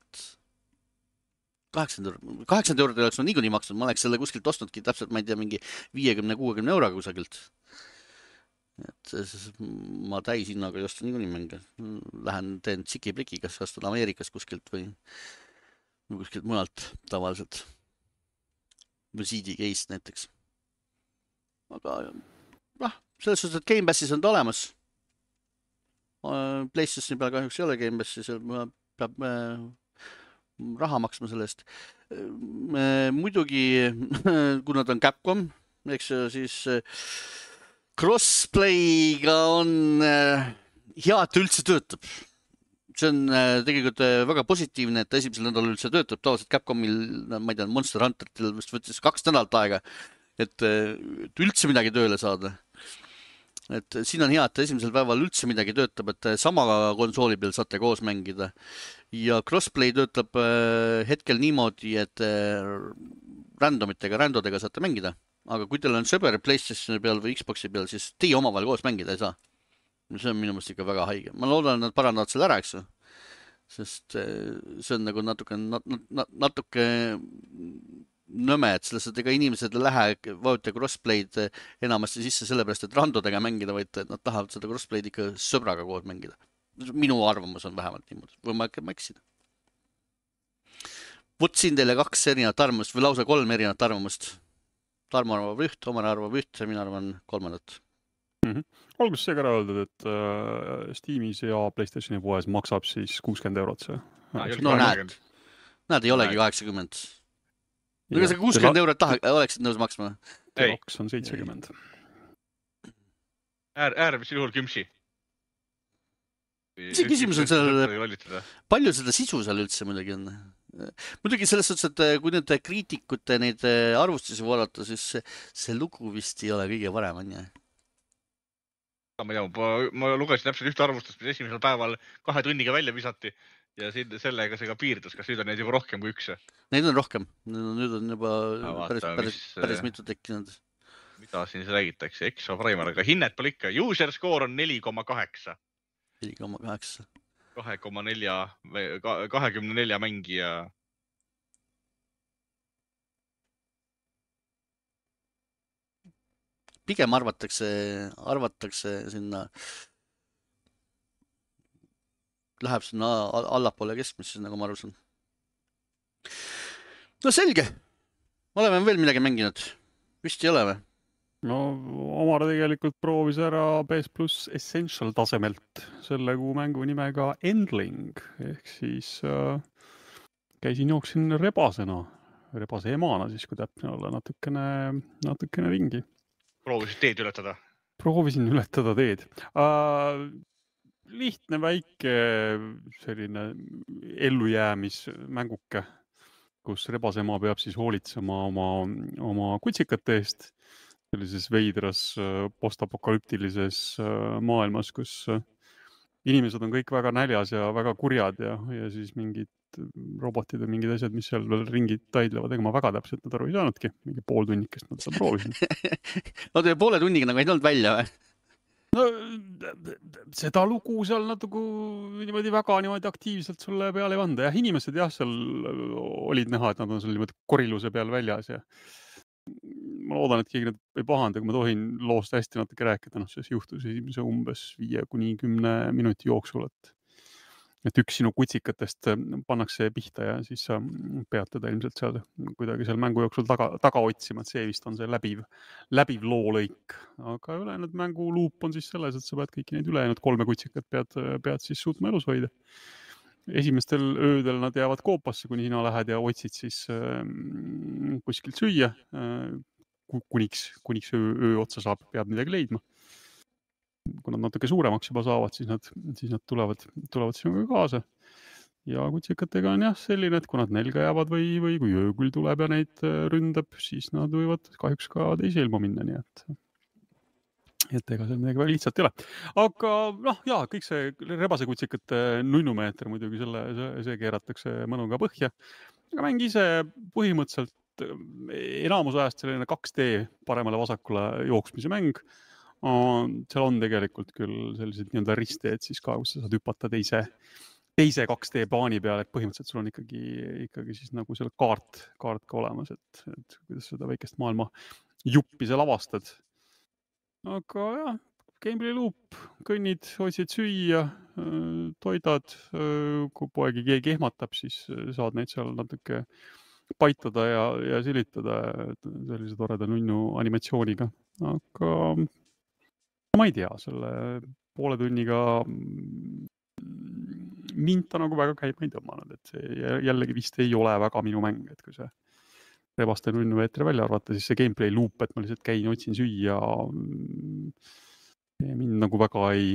kaheksakümmend eurot oleks ma niikuinii maksnud, ma oleks selle kuskilt ostnudki täpselt, ma ei tea, mingi viiekümne kuuekümne euroga kusagilt. Et ma täis hinnaga ei osta niikuinii mänge. Lähen teen tsiki-pliki, kas ostan Ameerikas kuskilt või kuskilt mujalt tavaliselt. Või C D case näiteks. Aga noh, selles suhtes, et Game Passis on ta olemas. PlayStationi peal kahjuks ei ole Game Passis, peab raha maksma sellest. Muidugi, kuna ta on Capcom, eks siis crossplayga on hea, et üldse töötab. See on tegelikult väga positiivne, et esimesel nädalal üldse töötab. Tavaliselt Capcomil, ma ei tea, Monster Hunteritel vist võttis kaks nädalat aega, et üldse midagi tööle saada. et siin on hea, et esimesel päeval üldse midagi töötab, et sama konsooli peal saate koos mängida ja crossplay töötab hetkel niimoodi, et randomitega, randodega saate mängida, aga kui teil on sõber PlayStationi peal või Xboxi peal, siis teie omavahel koos mängida ei saa. See on minu mõttes ikka väga haige. Ma loodan, et nad parandavad selle ära, eks ju. Sest see on nagu natuke, natuke nõme, et selles, et ega inimesed ei lähe vajuta crossplay'd enamasti sisse sellepärast, et randodega mängida, vaid nad tahavad seda crossplay'd ikka sõbraga koos mängida. Minu arvamus on vähemalt niimoodi. Või ma ikka mäksisin. Võt siin teile kaks erinevat arvamust või lausa kolm erinevat arvamust. Tarmo arvab üht, Omar arvab üht ja mina arvan kolmandat. Mm-hmm. Alguses see ka ära öeldud, et äh, Steamis ja PlayStationi poes maksab siis kuuskümmend eurot see. No, no näed, näed ei olegi kaheksakümmend. Ega sa kuuskümmend eurot taha, oleksid nõus maksma? Teoks on seitsekümmend. Äär, äärmisel juhul kümsi. See küsimus on sellele, palju seda sisu seal üldse muidugi on. Muidugi selles suhtes, et kui nüüd kriitikute neid arvustusi vaadata, siis see, see lugu vist ei ole kõige parem, on jah? Ma, tea, ma, ma lugesin täpselt ühte arvustust, mis esimesel päeval kahe tunniga välja visati. Ja sellega see ka piirdus, kas nüüd on neid juba rohkem kui üks? Neid on rohkem, nüüd on juba no, vaata, päris, päris, mis, päris mitu tekkinud. Mida siin räägitakse? Exo Primer, aga hinnet pole ikka. User score on neli koma kaheksa. neli koma kaheksa. kahe koma nelja, kahekümne nelja mängija. Pigem arvatakse, arvatakse sinna... läheb sinna allapoole keskmisse, nagu ma arusin. No selge. Oleme veel midagi mänginud. Vist ei ole või? No Omar tegelikult proovis ära P S Plus Essential tasemelt selle kuu mängu nimega Endling. Ehk siis äh, käisin jooksin rebasena, rebase emana siis, kui täpne olla, natukene, natukene ringi. Proovisid teed ületada? Proovisin ületada teed. Äh, lihtne väike selline ellujäämismänguke, kus rebasema peab siis hoolitsema oma, oma kutsikate eest sellises veidras postapokalüptilises maailmas, kus inimesed on kõik väga näljas ja väga kurjad ja, ja siis mingid robotid ja mingid asjad, mis seal veel ringid taidlevad, ega ma väga täpselt nad aru ei saanudki, mingi pool tunnikest nad seda proovisin. No teie poole tunniga nagu ei olnud välja või? No seda lugu seal natuke niimoodi väga niimoodi aktiivselt sulle peale ei vanda. Jah, inimesed jah, seal olid näha, et nad on seal niimoodi koriluse peal väljas ja ma loodan, et keegi nad ei pahanda, kui ma tohin loost hästi natuke rääkida. No, see juhtus esimese umbes viie kuni kümne minuti jooksul, et et üks sinu kutsikatest pannakse pihta ja siis sa pead teda ilmselt seal kuidagi seal mängu jooksul taga, taga otsima, et see vist on see läbiv, läbiv loolõik. Aga ülejäänud mängu luup on siis selles, et sa pead kõiki neid ülejäänud kolme kutsikat pead, pead siis suutma elus hoida. Esimestel öödel nad jäävad koopasse, kuni sina lähed ja otsid siis äh, kuskilt süüa. Äh, kuniks, kuniks öö, öö otsa saab, peab midagi leidma. Kui nad natuke suuremaks juba saavad, siis nad, siis nad tulevad, tulevad sinuga kaasa. Ja kutsikatega on jah selline, et kui nad nelga jäävad või, või kui ööküll tuleb ja neid ründab, siis nad võivad kahjuks ka teise ilma minna, nii et, et ega see midagi väga lihtsalt ei ole. Aga noh, jaa, kõik see rebase kutsikate nunnumeeter muidugi selle, see, see keeratakse mõnuga põhja. Aga mäng ise põhimõtteliselt enamus ajast selline kaks D paremale vasakule jooksmise mäng. Seal on tegelikult küll sellised nii-öelda risteed siis ka, kus sa saad hüpata teise, teise kaks D baani peale, et põhimõtteliselt sul on ikkagi, ikkagi siis nagu selle kaart, kaart ka olemas, et, et kuidas seda väikest maailma juppi seal avastad. Aga jah, gameplay loop, kõnnid, otsid süüa, toidad, kui poegi keegi ehmatab, siis saad neid seal natuke paitada ja, ja silitada sellise toreda nunnu animatsiooniga. Aga ma ei tea, selle poole tunniga mind ta nagu väga käima ei tõmmanud, et see jällegi vist ei ole väga minu mäng, et kui see rebaste nunnu meetri välja arvata, siis see gameplay loop, et ma lihtsalt käin, otsin süüa, mind nagu väga ei,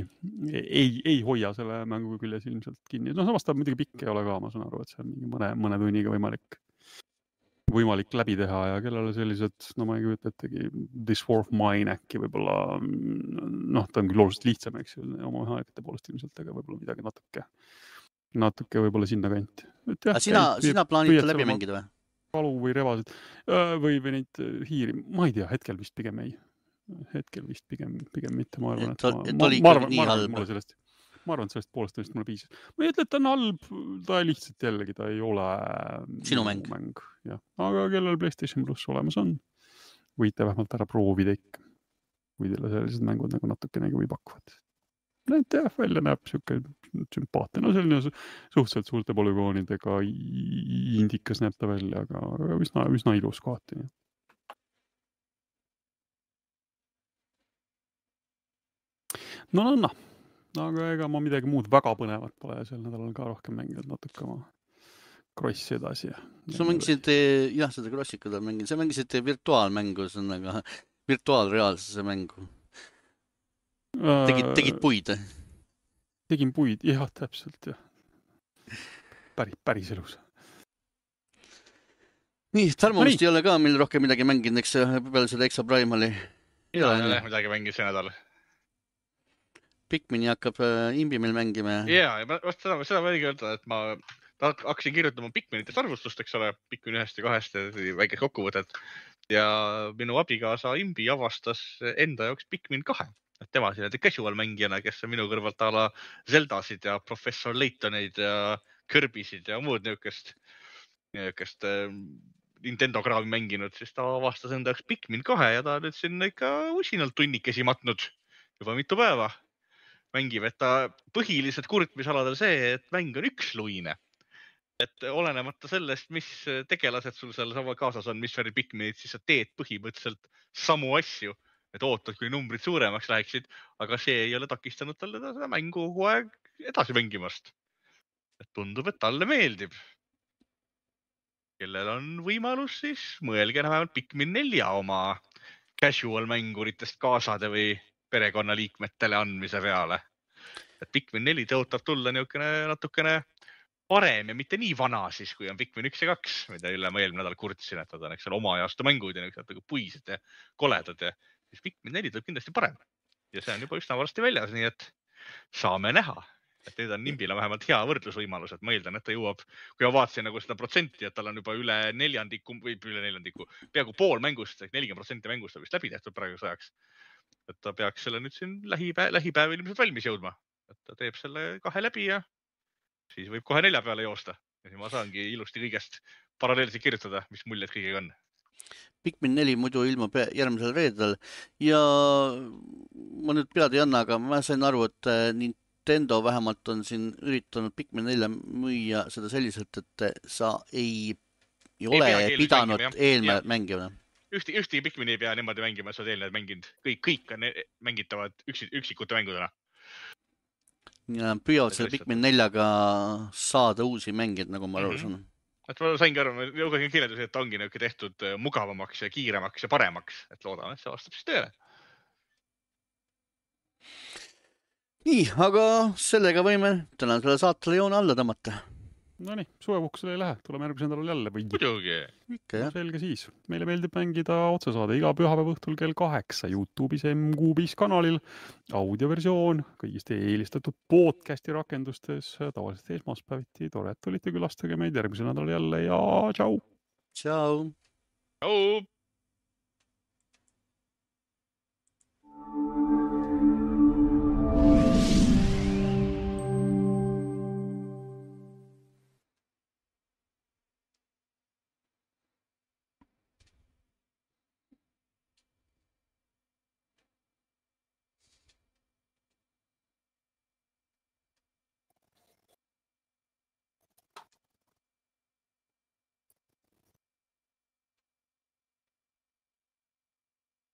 ei, ei hoia selle mängu küljes ilmselt kinni. No samast ta muidugi pikk ei ole ka, ma saan aru, et see on mingi mõne, mõne tunniga võimalik, võimalik läbi teha ja kellele sellised, no ma ei kujuta ettegi, This War of Mine äkki võib-olla, noh, ta on küll oluliselt lihtsam, eks ju, oma aegade poolest ilmselt, aga võib-olla midagi natuke, natuke võib-olla sinna kanti. Aga sina, sina plaanid läbi mängida või? Kalu või revasid või, või neid hiiri, ma ei tea, hetkel vist pigem ei. Hetkel vist pigem, pigem mitte, ma arvan, et, et, ma, et ma, oli ma arvan, nii ma arvan, halb. mulle sellest, ma arvan, et sellest poolest tõesti mulle piisab. Ma ei ütle, et ta on halb, ta lihtsalt jällegi, ta ei ole sinu mäng. mäng. Jah. Aga kellel PlayStation Plus olemas on, võite vähemalt ära proovida ikka, kui teile sellised mängud nagu natukenegi või pakuvad. Need jah, välja näeb siuke sümpaatne, no selline suhteliselt suurte polügoonidega indikas näeb ta välja, aga üsna, üsna ilus kohati. No, no, no. Aga ega ma midagi muud väga põnevat pole sel nädalal ka rohkem mänginud natuke oma krossi edasi. Sa mängisid, jah, seda krossikud mängin, sa mängisid virtuaalmängu, see on aga virtuaalreaalsuse mängu. Tegid, tegid puid? Tegin puid, jah, täpselt, jah. Päris, päris elus. Nii, Tarmolist ei ole ka meil rohkem midagi mänginud, eks peale seda Exa Primali. Ei ole midagi mänginud see nädal. Pikmini hakkab imbi meil mängima. Jaa, vast seda, seda ma õige öelda, et ma hakkasin kirjutama Pikminitest arvustust, eks ole, Pikmin ühest ja kahest väikest kokkuvõtet. Ja minu abigaasa imbi avastas enda jaoks Pikmin kahe. Tema siin casual mängijana, kes on minu kõrvalt ala Zeldasid ja Professor Laytoneid ja Kirbysid ja muud niukest, niukest Nintendo kraavi mänginud, siis ta avastas enda jaoks Pikmin kahe ja ta nüüd sinna ikka usinalt tunnikesi matnud juba mitu päeva. Mängib, et ta põhiliselt kurtmisaladel see, et mäng on üksluine. Et olenemata sellest, mis tegelased sul seal sama kaasas on, mis värvi Pikminid, siis sa teed põhimõtteliselt samu asju. Et ootad, kui numbrid suuremaks läheksid, aga see ei ole takistanud talle seda mängu kogu aeg edasi mängimast. Et tundub, et talle meeldib. Kellel on võimalus, siis mõelge vähemalt Pikmin nelja oma casual mänguritest kaasade või perekonnaliikmetele andmise peale. Et Pikmin neli tõotab tulla niukene natukene parem ja mitte nii vana siis, kui on Pikmin üks ja kaks, mida üle ma eelmine nädal kurtsin, et nad on eks ole oma ajastu mängud ja niisugused puised ja koledad ja siis Pikmin neli tuleb kindlasti parem. Ja see on juba üsna varsti väljas, nii et saame näha. Et nüüd on Nimbile vähemalt hea võrdlusvõimalus, et ma eeldan, et ta jõuab, kui ma vaatasin nagu seda protsenti, et tal on juba üle neljandiku või üle neljandiku, peaaegu pool mängust, nelikümmend protsenti mängust on vist läbi tehtud praegu sajaks. Et ta peaks selle nüüd siin lähipäev, lähipäev ilmselt valmis jõudma. Et ta teeb selle kahe läbi ja siis võib kohe nelja peale joosta. Ja siis ma saangi ilusti kõigest paralleelselt kirjutada, mis muljed kõigega on. Pikmin neli muidu ilmub järgmisel reedel ja ma nüüd pead ei anna, aga ma sain aru, et Nintendo vähemalt on siin üritanud Pikmin nelja müüa seda selliselt, et sa ei, ei ole ei pidanud eelme mängima. Ühti, ühti Pikmini ei pea niimoodi mängima, sa eelnevad mänginud. Kõik, kõik on mängitavad üks, üksikute mängudena. Ja püüavad selle Pikmin neljaga saada uusi mängid, nagu ma aru saan. Et ma saingi aru, ma jõugan kirjeldusi, et ongi niuke tehtud mugavamaks ja kiiremaks ja paremaks, et loodame, et see vastab siis tööle. Nii, aga sellega võime täna selle saatele joone alla tõmmata. No nii, suvepuhkusele ei lähe, tuleme järgmise nädalal jälle või? Muidugi. Ikka, jah. Selge siis. Meile meeldib mängida otsesaade iga pühapäeva õhtul kell kaheksa YouTube'is M Q viis kanalil. Audioversioon kõigist eelistatud podcasti rakendustes, tavaliselt esmaspäeviti. Tore, et olite külastage meid järgmise nädalal jälle ja tšau! Tšau! Tšau!